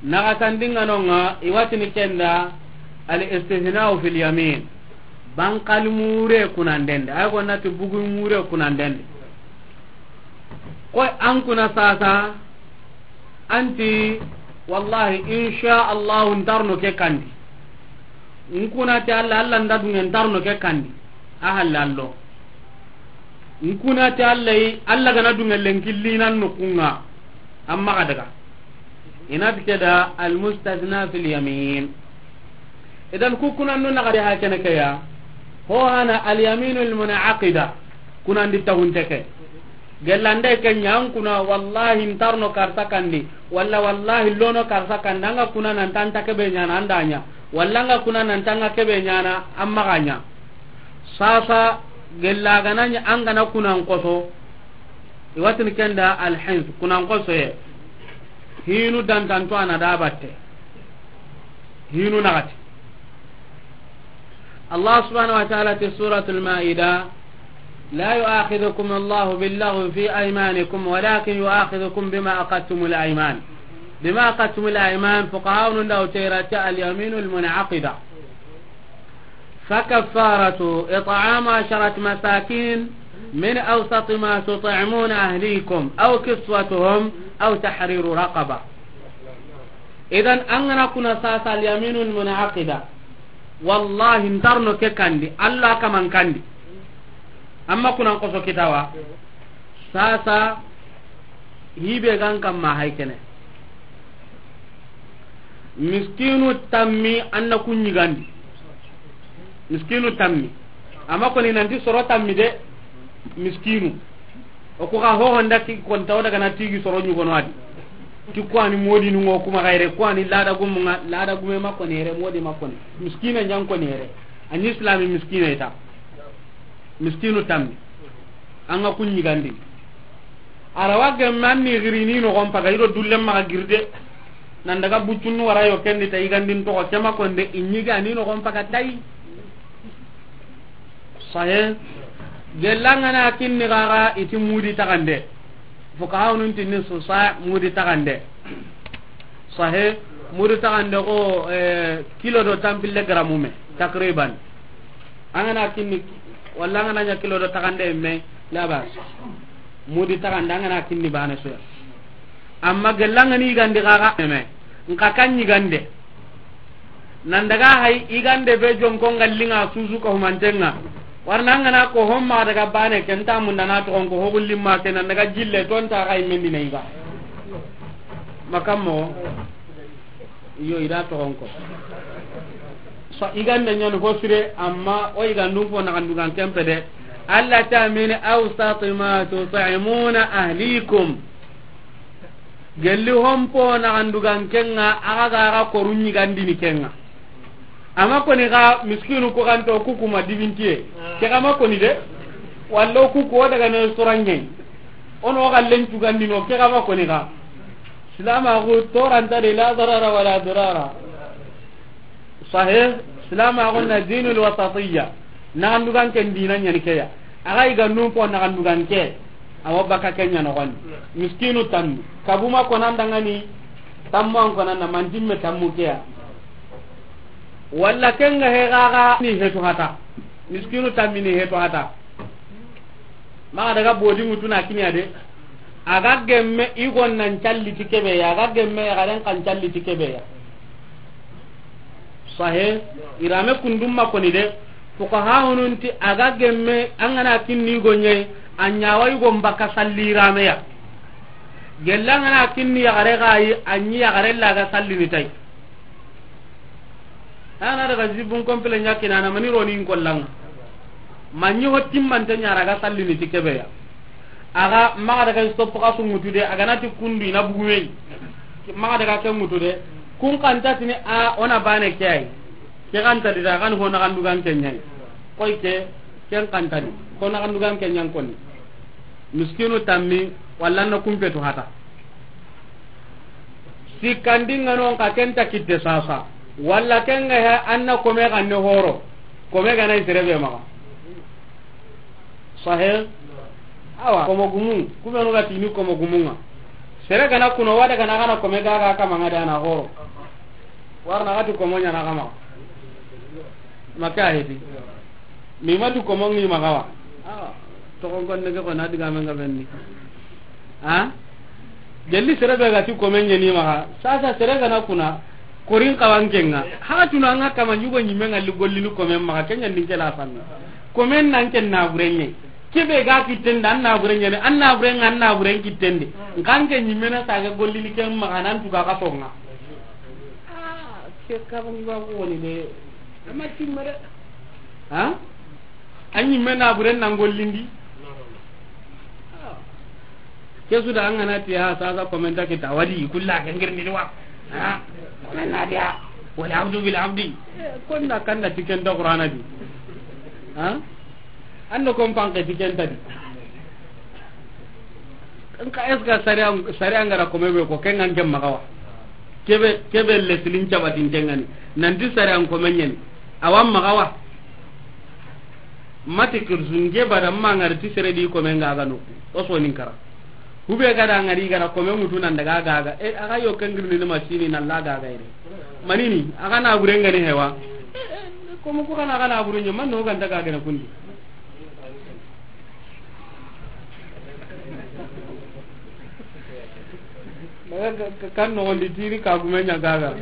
Naxa tandinganonga, iwatini kenda, al istithna'u fil yamin. Bankal mure kunandende, ay gonnati bugu mure kunandende. Koy an kuna sasa, anti, wallahi, insha Allahu, ntarno ke kandi. Nkuna ti Allah, Allah nda dunge ntarno ke kandi. A halallo. Nkuna ti Allah yi, Allah gana dunge lenkillinan nukunga. Amma ga daga. Inati keda al mustathna fil yamin. Idan ku kunannu naxati ha kene ke ya. Ho hana al yaminul munaqida. Kunandi tahunte ke. Gellande ke ña an kuna wallahi ntarno karsa kandi. Walla wallahi lono karsa kandi. Anga kuna nan tanta kebe ñana andanya. Walla anga kuna nan tanga kebe ñana amma ganya. Sasa gella gananya angana kunan koso. Iwatini kenda al hins kunan koso ye. Hinu dantanto ana da batte. Hinu naxati. Allah subhanahu wa ta'ala ti suratul Maida, لا يؤاخذكم الله باللغو في أيمانكم ولكن يؤاخذكم بما عقدتم الأيمان. بما عقدتم الأيمان، فقهاء داو تيرا اليمين المنعقدة. فكفارته إطعام عشرة مساكين من أوسط ما تطعمون أهليكم أو كسوتهم أو تحرير رقبة. Idan, an gana kuna sasa al-yaminul munaqida. Wallahi, ntarno ke kandi, Allah kaman kandi. Amma kunan koso kitawa. Sasa, hibe gan kamma hay kene. Miskinu tammi anna kunyigandi. Miskinu tammi. Amma koni nanti soro tammi de, miskinu. O ko ga ho honda ki kon taw daga na tigi soro nyugo no adi. Ti ko ani modi nu ngo kuma gaire, ko ani lada gumunga, lada gume makko nere, modi makko ne. Miskina nyan ko nere. An islami miskina ita. Miskinu tammi. Anga kunyigandi. Arawa gemme an ni girini no gon paga ido dulle maxa girde. Nan daga buccunnu wara yo kendi ta yigandin toxo kema konde i ñigani no gon paga tay. Sahe. Gellangana kinni gaga iti mudi taxande. Fukahawunun tinni susa mudi taxande. Sahe. Mudi taxande ko, eh, kilo do tampille gramume takriban. Angana kinni, walla angana ña kilo do taxande me, labas. Mudi taxande angana kinni bane soya. Amma gellangani yigandi gaga me. Nka kan yigande. Nan daga hay yigande be jonko ngallinga susu ko humantenga. Warna ngana ko homma daga bane kenta munda na to ko hogullimma ke nan daga jille ton ta hay mendina yiga. Makammo. Iyo, ida toxon ko. So, igande ñani ho sire, amma o igandun fo naxandugan kempe de. Allah ta mini, awsati ma tut'imuna ahlikum. Gelli hompo naxandugan kenga, axa ga axa koru ñigandini kenga. Amma koni xa miskinu ko ganto kukuma dibintiye. Ke xa ma koni de. Wallo kuku o daga ne soranñe. Ono xa lencugandino, ke xa ma koni xa. Silamaxu toranta de, la darara wala dirara. Sahih. Silamaxu na dinul wasatiyya. Naxandugan ken dina ɲani ke ya. A ga i ga nun po naxandugan ke, a wa baka ke ɲa noxon di. Miskinu tammi. Kabuma konandangani, tammu an konanda, mantimme tammu ke ya. Walla ken ga he gaga ni hetu hata. Miskinu tammi ni hetu hata. Maxa daga bodi ŋutu na kiniya de. A ga gemme i gon nan calli ti kebe ya, a ga gemme ya garen kan calli ti kebe ya. Sahe, irame kundum ma koni de. Fuqaha hunun ti a ga gemme an gana kinni i gonye, a ɲawa i gon baka salli irame ya. Gella an gana kinni ya gare gayi, a ɲi ya gare la ga salli ni tay. Ana daga zibun kompile ɲa kinana mani roni in kollanga. Manyi ho timmante ɲara ga sallini ti kebe ya. A ga maxa daga stop ka sungutu de, a ga na ti kundu i na bugume. Maxa daga ke mutu de. Kun kanta tini a o na bane ke ay. Ke kanta di da kan ho naxandugan ke ɲay. Koy ke, ken kanta di. Ho naxandugan ke ɲan koni. Miskinu tammi, walla na kumpetu hata. Sikkandi ŋa non ka ken ta kitte sasa. Walla ken ga he an na kome ga ne horo. Kome ga na i sere be maxa. Sahe? Awa, komo gumu. Kubenu ga tini komo gumu ŋa. Sere ga na kuno wada ga na ga na kome ga ga kama ŋa da na horo. Warna ga ti komo ɲa na kama. Maka heti. Mi ma tu komo ŋi maxa wa. Awa. Toxon kon ne ke ko na diga men ga benni. Ha? Gelli sere be ga ti komen ɲeni maxa. Sasa sere ga na kuna. Korin kawan kenga. Ha tuna nga kama ɲugo ɲimen ŋa li gollini komen maxa. Ken ɲan din ke la fanna. Komen nan ken na burenye. Kebe ga kitten da an na burenye ne. An na buren an na buren kitten de. Nkan ke ɲimen na saga gollini ken maxa nan tuga ka songa. Ah, ke ka ban ba ko ni de. Amma timmere. Ha? An ɲimme na buren nan gollindi. Ke su da an gana ti ha sasa komenta kita wadi kulla ke ngirni wa. Ha? Komen na dia. Wala abdu bil abdi. Eh, kon na kanda tiken da Qur'ana di. Ha? Ando kon panke tiken ta di. Nka eska sariya, sariya ngara kome be ko ken ngan ke maxa wa. Kebe, kebe leslin cabatin tengani. Nanti sariya kome ɲeni. Awa maxa wa. Mati kirsu nge bada ma ngari ti sere di kome nga ga no. O so nin kara. Hube ga da ngari ga da kome mutu nan daga ga ga. E, a ga yo kengirni ni masini na la ga ga ire. Manini, a ga na buren ga ni hewa. E, e, kome ku ga na ga na buren ɲa, man no ga nda ga ga na kundi. Daga ka-, ka-, kan noxondi tini ka gume ɲa gaga.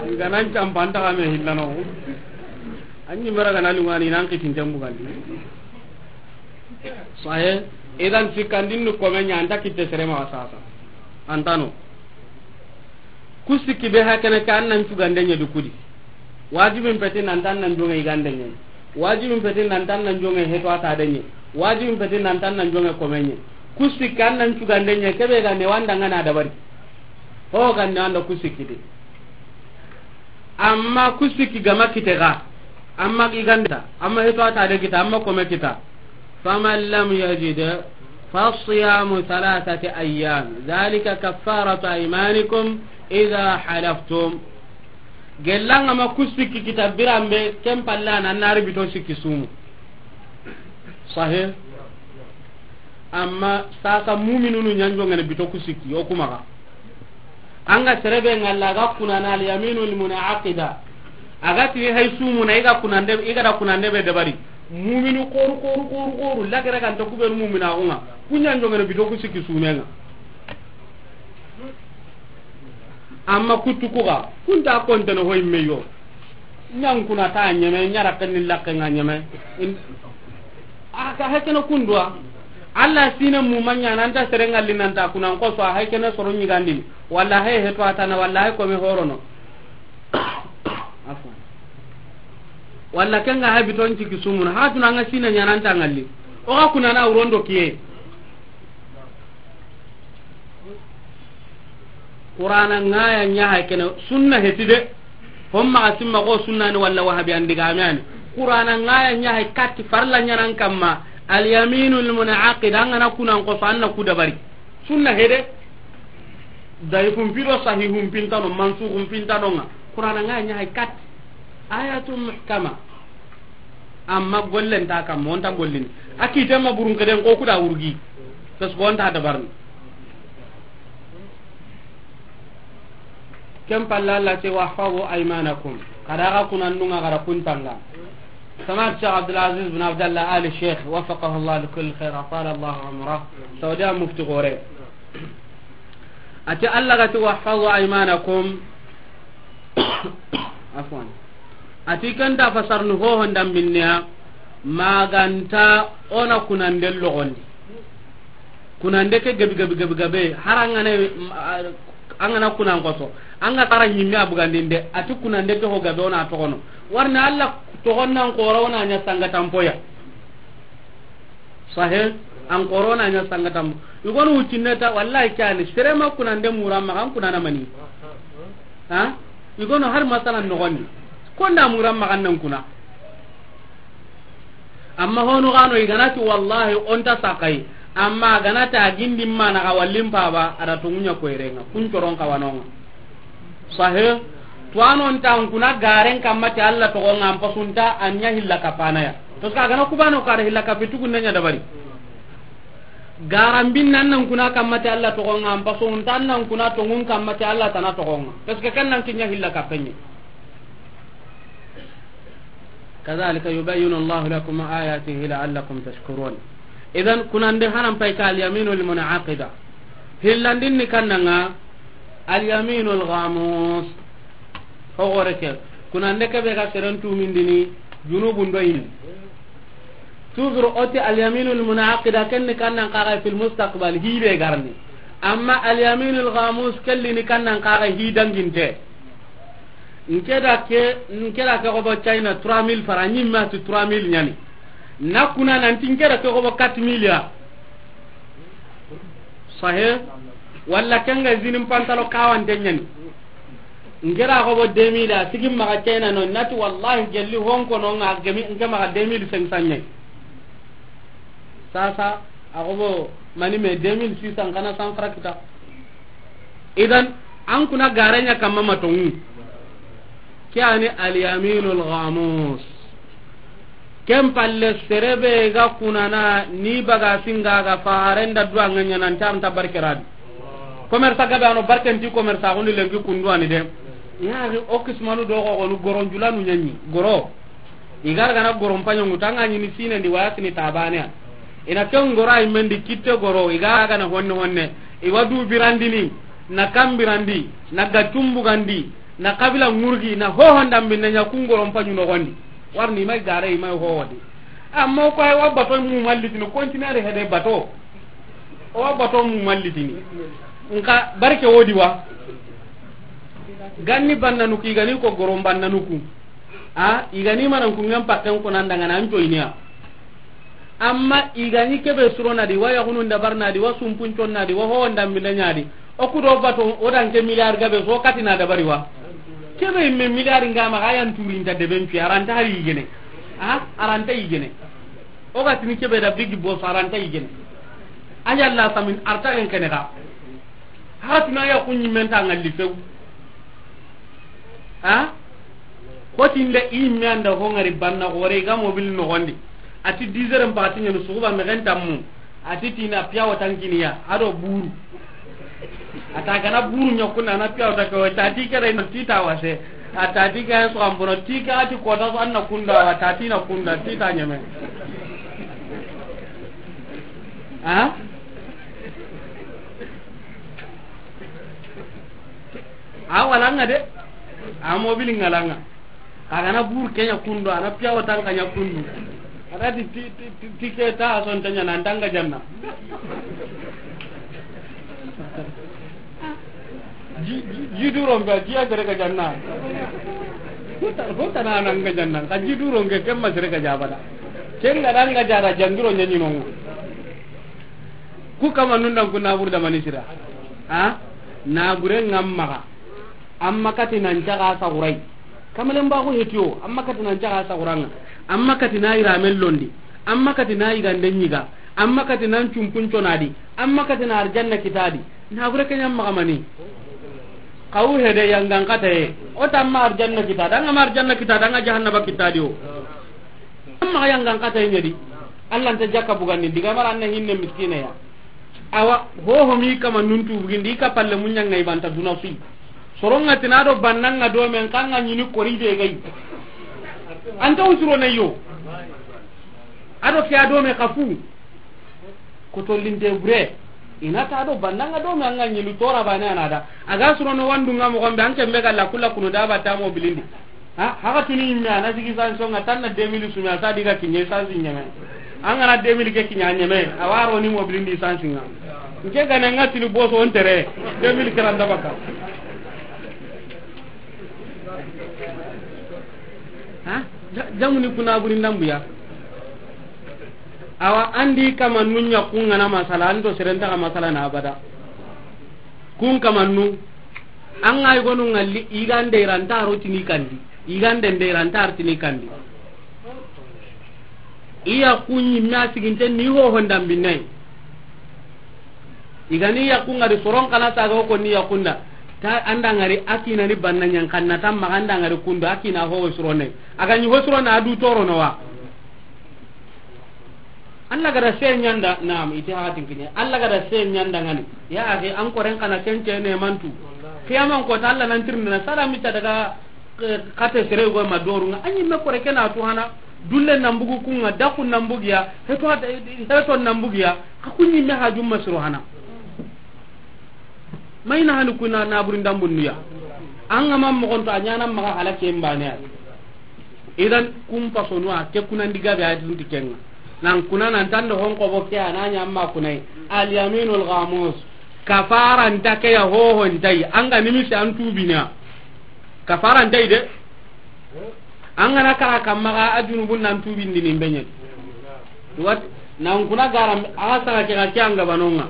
I ga nan campa an taxa me hillano. An ɲi mera ga na lungani nan kitin tembu gandi. Sahe, idan sikkandin ni kome ɲa anta kitte sere maxa sasa. Antano. Ku sikki be hakene ka an nan cugande ɲa di kudi. Wajibin peti nan tan nan jonge igande ɲe. Wajibin peti nan tan nan jonge heto ata de ɲe. Wajibin peti nan tan nan jonge kome ɲe. Ku sikki an nan cugande ɲe kebe ga ne wanda ngana dabari. Ho gande anda ku sikki de. Amma ku sikki gama kite ga. Amma iganda. Amma heto ata de kita. Amma kome kita. فمن لم يجد فصيام ثلاثة أيام ذلك كفارة أيمانكم إذا حلفتم. Gellanga ma ku sikki kita biranbe, ken palla na nari bito sikki sumu. Sahih. Amma sasa mu'minunu ɲanjo ngene bito ku sikki, o kuma ga. Anga serebe ngalla ga kunana al yaminul munaqida. Aga ti hay sumu na iga kunande, iga da kunande be dabari. Mu'minu koru, koru, koru, koru. Lagare kan ta kubenu mu'mina unga. Kunya njongene bito ku sikki sumenga. Amma kuttu kuga, kunta kontene hoy meyo. Ɲankuna ta ɲeme, ɲara kenni lakke nga ɲeme. In-, a ka hekene kundwa. Allah sine mu manya nan ta sere ngalli nan ta kunan ko so hekene soro ɲigandini. Wallahi he to atana, wallahi ko me horono. Afwan. Walla kenga habiton ciki sumuna. Hatuna nga sine ɲanan ta ngalli. O ga kunana urondo kiye. Qur'ana ngaya ɲa hay kene sunna heti de. Homma ga simma ko sunna ni walla wahabi andiga me ani. Qur'ana ngaya ɲa hay katti farla ɲanan kamma. Al yaminul munaqid, angana kunan ko so anna ku dabari. Sunna hede. Daifun pi do sahihun pintano, mansukhun pintano nga. Qur'ana nga ɲa hay kat. Ayatun muhkama. Amma gollen ta kam, on ta gollini. A kite ma burun keden ko kuda wurgi. Parce que on ta dabarni. Ken palla Allah ce, "Wahfazu aymanakum." Kada ga kunandunga, kada kuntanga. Samad Sheikh Abdul Aziz bin Abdallah Ali Sheikh, waffaqahu Allah li kulli khair, atala Allah umrah. Saudi mufti gore. Ati Allah ga ti, "Wahfazu aymanakum." Afwan. Ati kanta fasarni hoho ndambinniya, maganta ona kunande logondi. Kunande ke gabi, gabi, gabi, gabe. Har angana, angana kunan koso. Anga tara nyimme abugandinde. Ati kunande ke ho gabe ona togono. Warna Allah togonnan kora ona nya sanga tampoya. Sahe, an korona nya sangatam. Igonu wucinne ta, wallahi kani, serema kunande muramma kan kunana mani. Ha? Igonu har masalan nogondi. Konda muramma kan nan kuna. Amma hono gano iganati wallahi onta sakai. Amma ganata gindi mana ga wallim paba, ada tungunya koirenga. Kun coron kawanonga. Sahe, tuwano nta n kuna garen kamma ti Allah togonga an pasunta an ɲa hilla kapana ya. Parce que a gana kubano kare hilla kapi tugunne ɲa dabari. Garan bin nan nan kuna kamma ti Allah togonga an pasunta nan kuna tongun kamma ti Allah tana togonga. Parce que kan nan kinya hilla kapenye. كذلك يبين الله لكم آياته لعلكم تشكرون. Idan, kunande hanan pay ka al-yaminul munaqida. Hillandin ni kannanga al-yaminul ghamus. Hogore ke. Kunande ke be ga seren tumindini junubun do yin. Toujours oti al-yaminul munaqida ken ni kannan kaga fil mustaqbal hibe garni. Amma al-yaminul ghamus kelli ni kannan kaga hidanginte. Nke da ke, nke da ke gobo China trois mille francs, ɲimme ti trois mille ɲani. Na kuna nanti nke da ke gobo quatre mille ya. Sahe? Walla kenga zinin pantalo kawante ɲani. Nke da gobo deux mille ya, sigin maga China no, nati wallahi gelli honko no nga gemi, nke maga deux mille cinq cents ɲani. Sasa, a gobo mani me deux mille six cents kana san fara kita. Idan, an kuna garanya kamma matongu. Ke ani al-yaminul ghamus. Ken palle serebe ga kunana ni baga singa ga farenda duwa nganya nan tam ta barkeradi. Commerce gabe ano barkenti commerce agundi lenki kundu ani de. Ya o kismanu do ko gonu goron julanu ɲanyi. Goro. Igar gana goron panyo ngutanga ɲini sine ndi waya sini tabane. Ina ken goro ay mendi kitte goro, iga gana honne honne. Iwa du birandini, na kambirandi, na gatumbu gandi, na kabila ngurgi, na hoho ndambi na ɲa kun goron panyu no gondi. Warni mai gare mai hoho di. Amma ko ay wa bato mu mallitini, continent hede bato. O wa bato mu mallitini. Nka barke wodi wa. Ganni bannanuku, igani ko goron bannanuku. A, igani manan kungen pakken kunan dangana an coyniya. Amma igani kebe suronadi, wa yaxunun dabarnadi, wa sumpunconnadi, wa howondambindeɲadi. O kudo bato, o danke milliard gabe so katina dabari wa. Kebe imme milliard nga maxa yan turinta deben cuya, aranta hari yigene. A, aranta yigene. O ga tini kebe da bigi boso, aranta yigene. A yalla samin arta en kene ga. Haratuna ya kunyi menta ngalli few. Ha? Kotinde i me anda ho ngari banna gore ga mobil no gondi. Ati dix heures mpati nyanu suguba me gen tammu. Ati tina piya watankiniya ado buru. Ata gana buru nyakuna na piya wata ko tati kere no tita wase. Atati ga so ambono tika ati kota so anna kunda wa tati na kunda tita nyame. Ha? A walanga de. A mobili ngalanga. A gana bur kenya kundu, ana piya watan kanya kundu. Ada di ti, ti, ti, ti ke ta son tanya nan tanga janna. Ji, ji, ji duron be, ji a gere ga janna. Hota, hota na nan ga janna. Ka ji duron ke kemma sere ga jabada. Ken ga dan ga jara jangiro nyanyi nongo. Ku kama nundan ku nabur da manisira. Ha? Nabure ngamma. Amma kati nan caga sagurai. Kamalen ba ko hetiyo, amma kati nan caga saguranga. Amma kati na iramen londi. Amma kati na igande nyiga. Amma kati nan cumpun conadi. Amma kati na arjanna kitadi. Na gure ke ɲa maxa mani. Xawu hede yangan kataye. O ta ma arjanna kita, da ŋa ma arjanna kita, da ŋa jahannaba kita di o. Maxa yangan kataye ɲa di. Allah nta jakka bugandi, diga mara an na hinne miskine ya. Awa, hoho mi kama nuntu bugindi, i ka palle muɲanga i banta duna sui. Soronga tina do bannanga do men kanga ɲini kori be gai. Anta usuro ne yo. Ado ke a do me kafu. Kotollinte bure. Ina ta do bannanga do me anga ɲilu tora bane anada. Aga surono wandunga mo gombe anke mega la kula kunu da ba ta mobilindi. Ha, haga tuni imme ana sigi san songa tanna deux mille sumi asa diga kinye san sinyeme. Angana deux mille ke kinya nyeme. Awaro ni mobilindi san singa. Nke gane nga tini boso ontere. Deux mille karanda baka. Ha? Ja-, jamuni kuna buri ndambuya. Awa, andi kama nunya kungana masala, ando serenta ka masala na abada. Kun kama nu, an ga i gonu ngalli, igande iranta ro tini kandi. Igande nde iranta ro tini kandi. Iya kunyi ma siginte ni ho honda binai. Igani yakun ngari soron kana saga ko ni yakunda. Ta anda ngari akina ni banna nyan kanna tamma anda ngari kunda akina ho surone. Aga ni ho surone adu toro no wa. Allah gada se nyanda, naam, iti hakatin kinya. Allah gada se nyanda ngani. Ya akhi, an koren kana kence ne mantu. Kiyaman ko ta Allah nan tirnina sala mita daga, eh, kate sere go ma doru nga. Anyi me kore kena tu hana. Dulle nan bugu kunga, daku nan bugiya, heto hat-, heto nan bugiya. Ka kunyi me hajum masro hana. Mayna hanu kuna na burin dambunniya. An ga mam mo gonto anyana maga halake mbane. Idan kum pasonwa ke kuna ndiga be ayatun tikenga. Nan kuna nan tando hon ko bokke ananya amma kunai. Al yaminul ghamus. Kafara ntake ya hoho ntai. Anga nimisi antubina. Kafara ntai de. Angana kara kamma ga ajunubun nan tubindi ni benyen. Wat nan kuna garam aga saga ke ga ke anga banonga.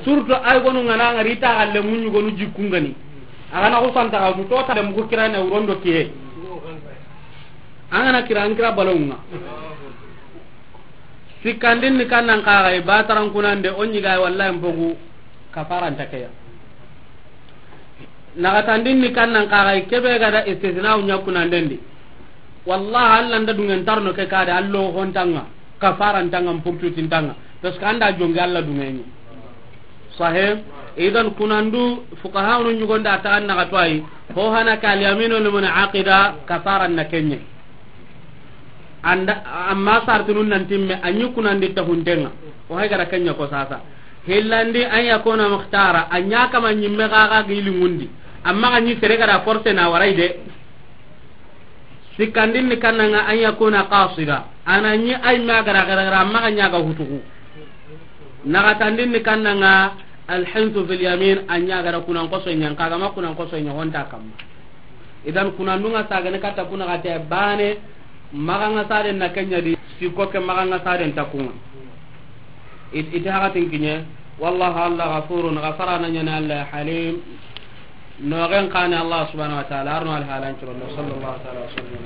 Surtout ay gonu ngana ngari ta galle munyu gonu jikungani. Aga na ko santa ga to ta dem ko kirane urondo kiye. Angana kira an kira balonga. Sikkandin ni kannan kaxay, bataran kunande, o ñigay, wallahi mpogu kafaranta keya. Naxatandin ni kannan kaxay, kebe gada istisnawu ña kunandendi. Wallahi, Allah nda dungen tarno ke kade, allo hontanga, kafarantanga, mpurtutintanga. Parce que anda jongi Allah dungeñi. Sahih. Idan kunandu fuqahanu ñugonda taxan naxa to ayi. Ho hana ka al yaminu lil munaqida kafaran na kenye. Anda amma sartunun nan timme anyi kunandi tahuntenga. O hay gara kenya ko sasa. Hillandi an yakuna mukhtara, anya kama nyimme gaga gili ngundi. Amma anyi sere gara force na warai de. Sikkandin ni kannanga an yakuna qasida. Ananyi ay ma gara gara gara amma anya ga hutuku. Naxatandin ni kannanga alhinsu fil yamin, anya gara kunan koso nyan kaga ma kunan koso nya honta kamma. Idan kunandunga sagane katta kuna gate bane, maganga saden na kenya di, siko ke maganga saden takunga. It-, ite hakatin kinye, wallahu Allah ghafurun, ghafara na nyane Allah halim. No gen kane Allah subhanahu wa ta'ala, arno al halan curo, sallallahu ta'ala wa sallam.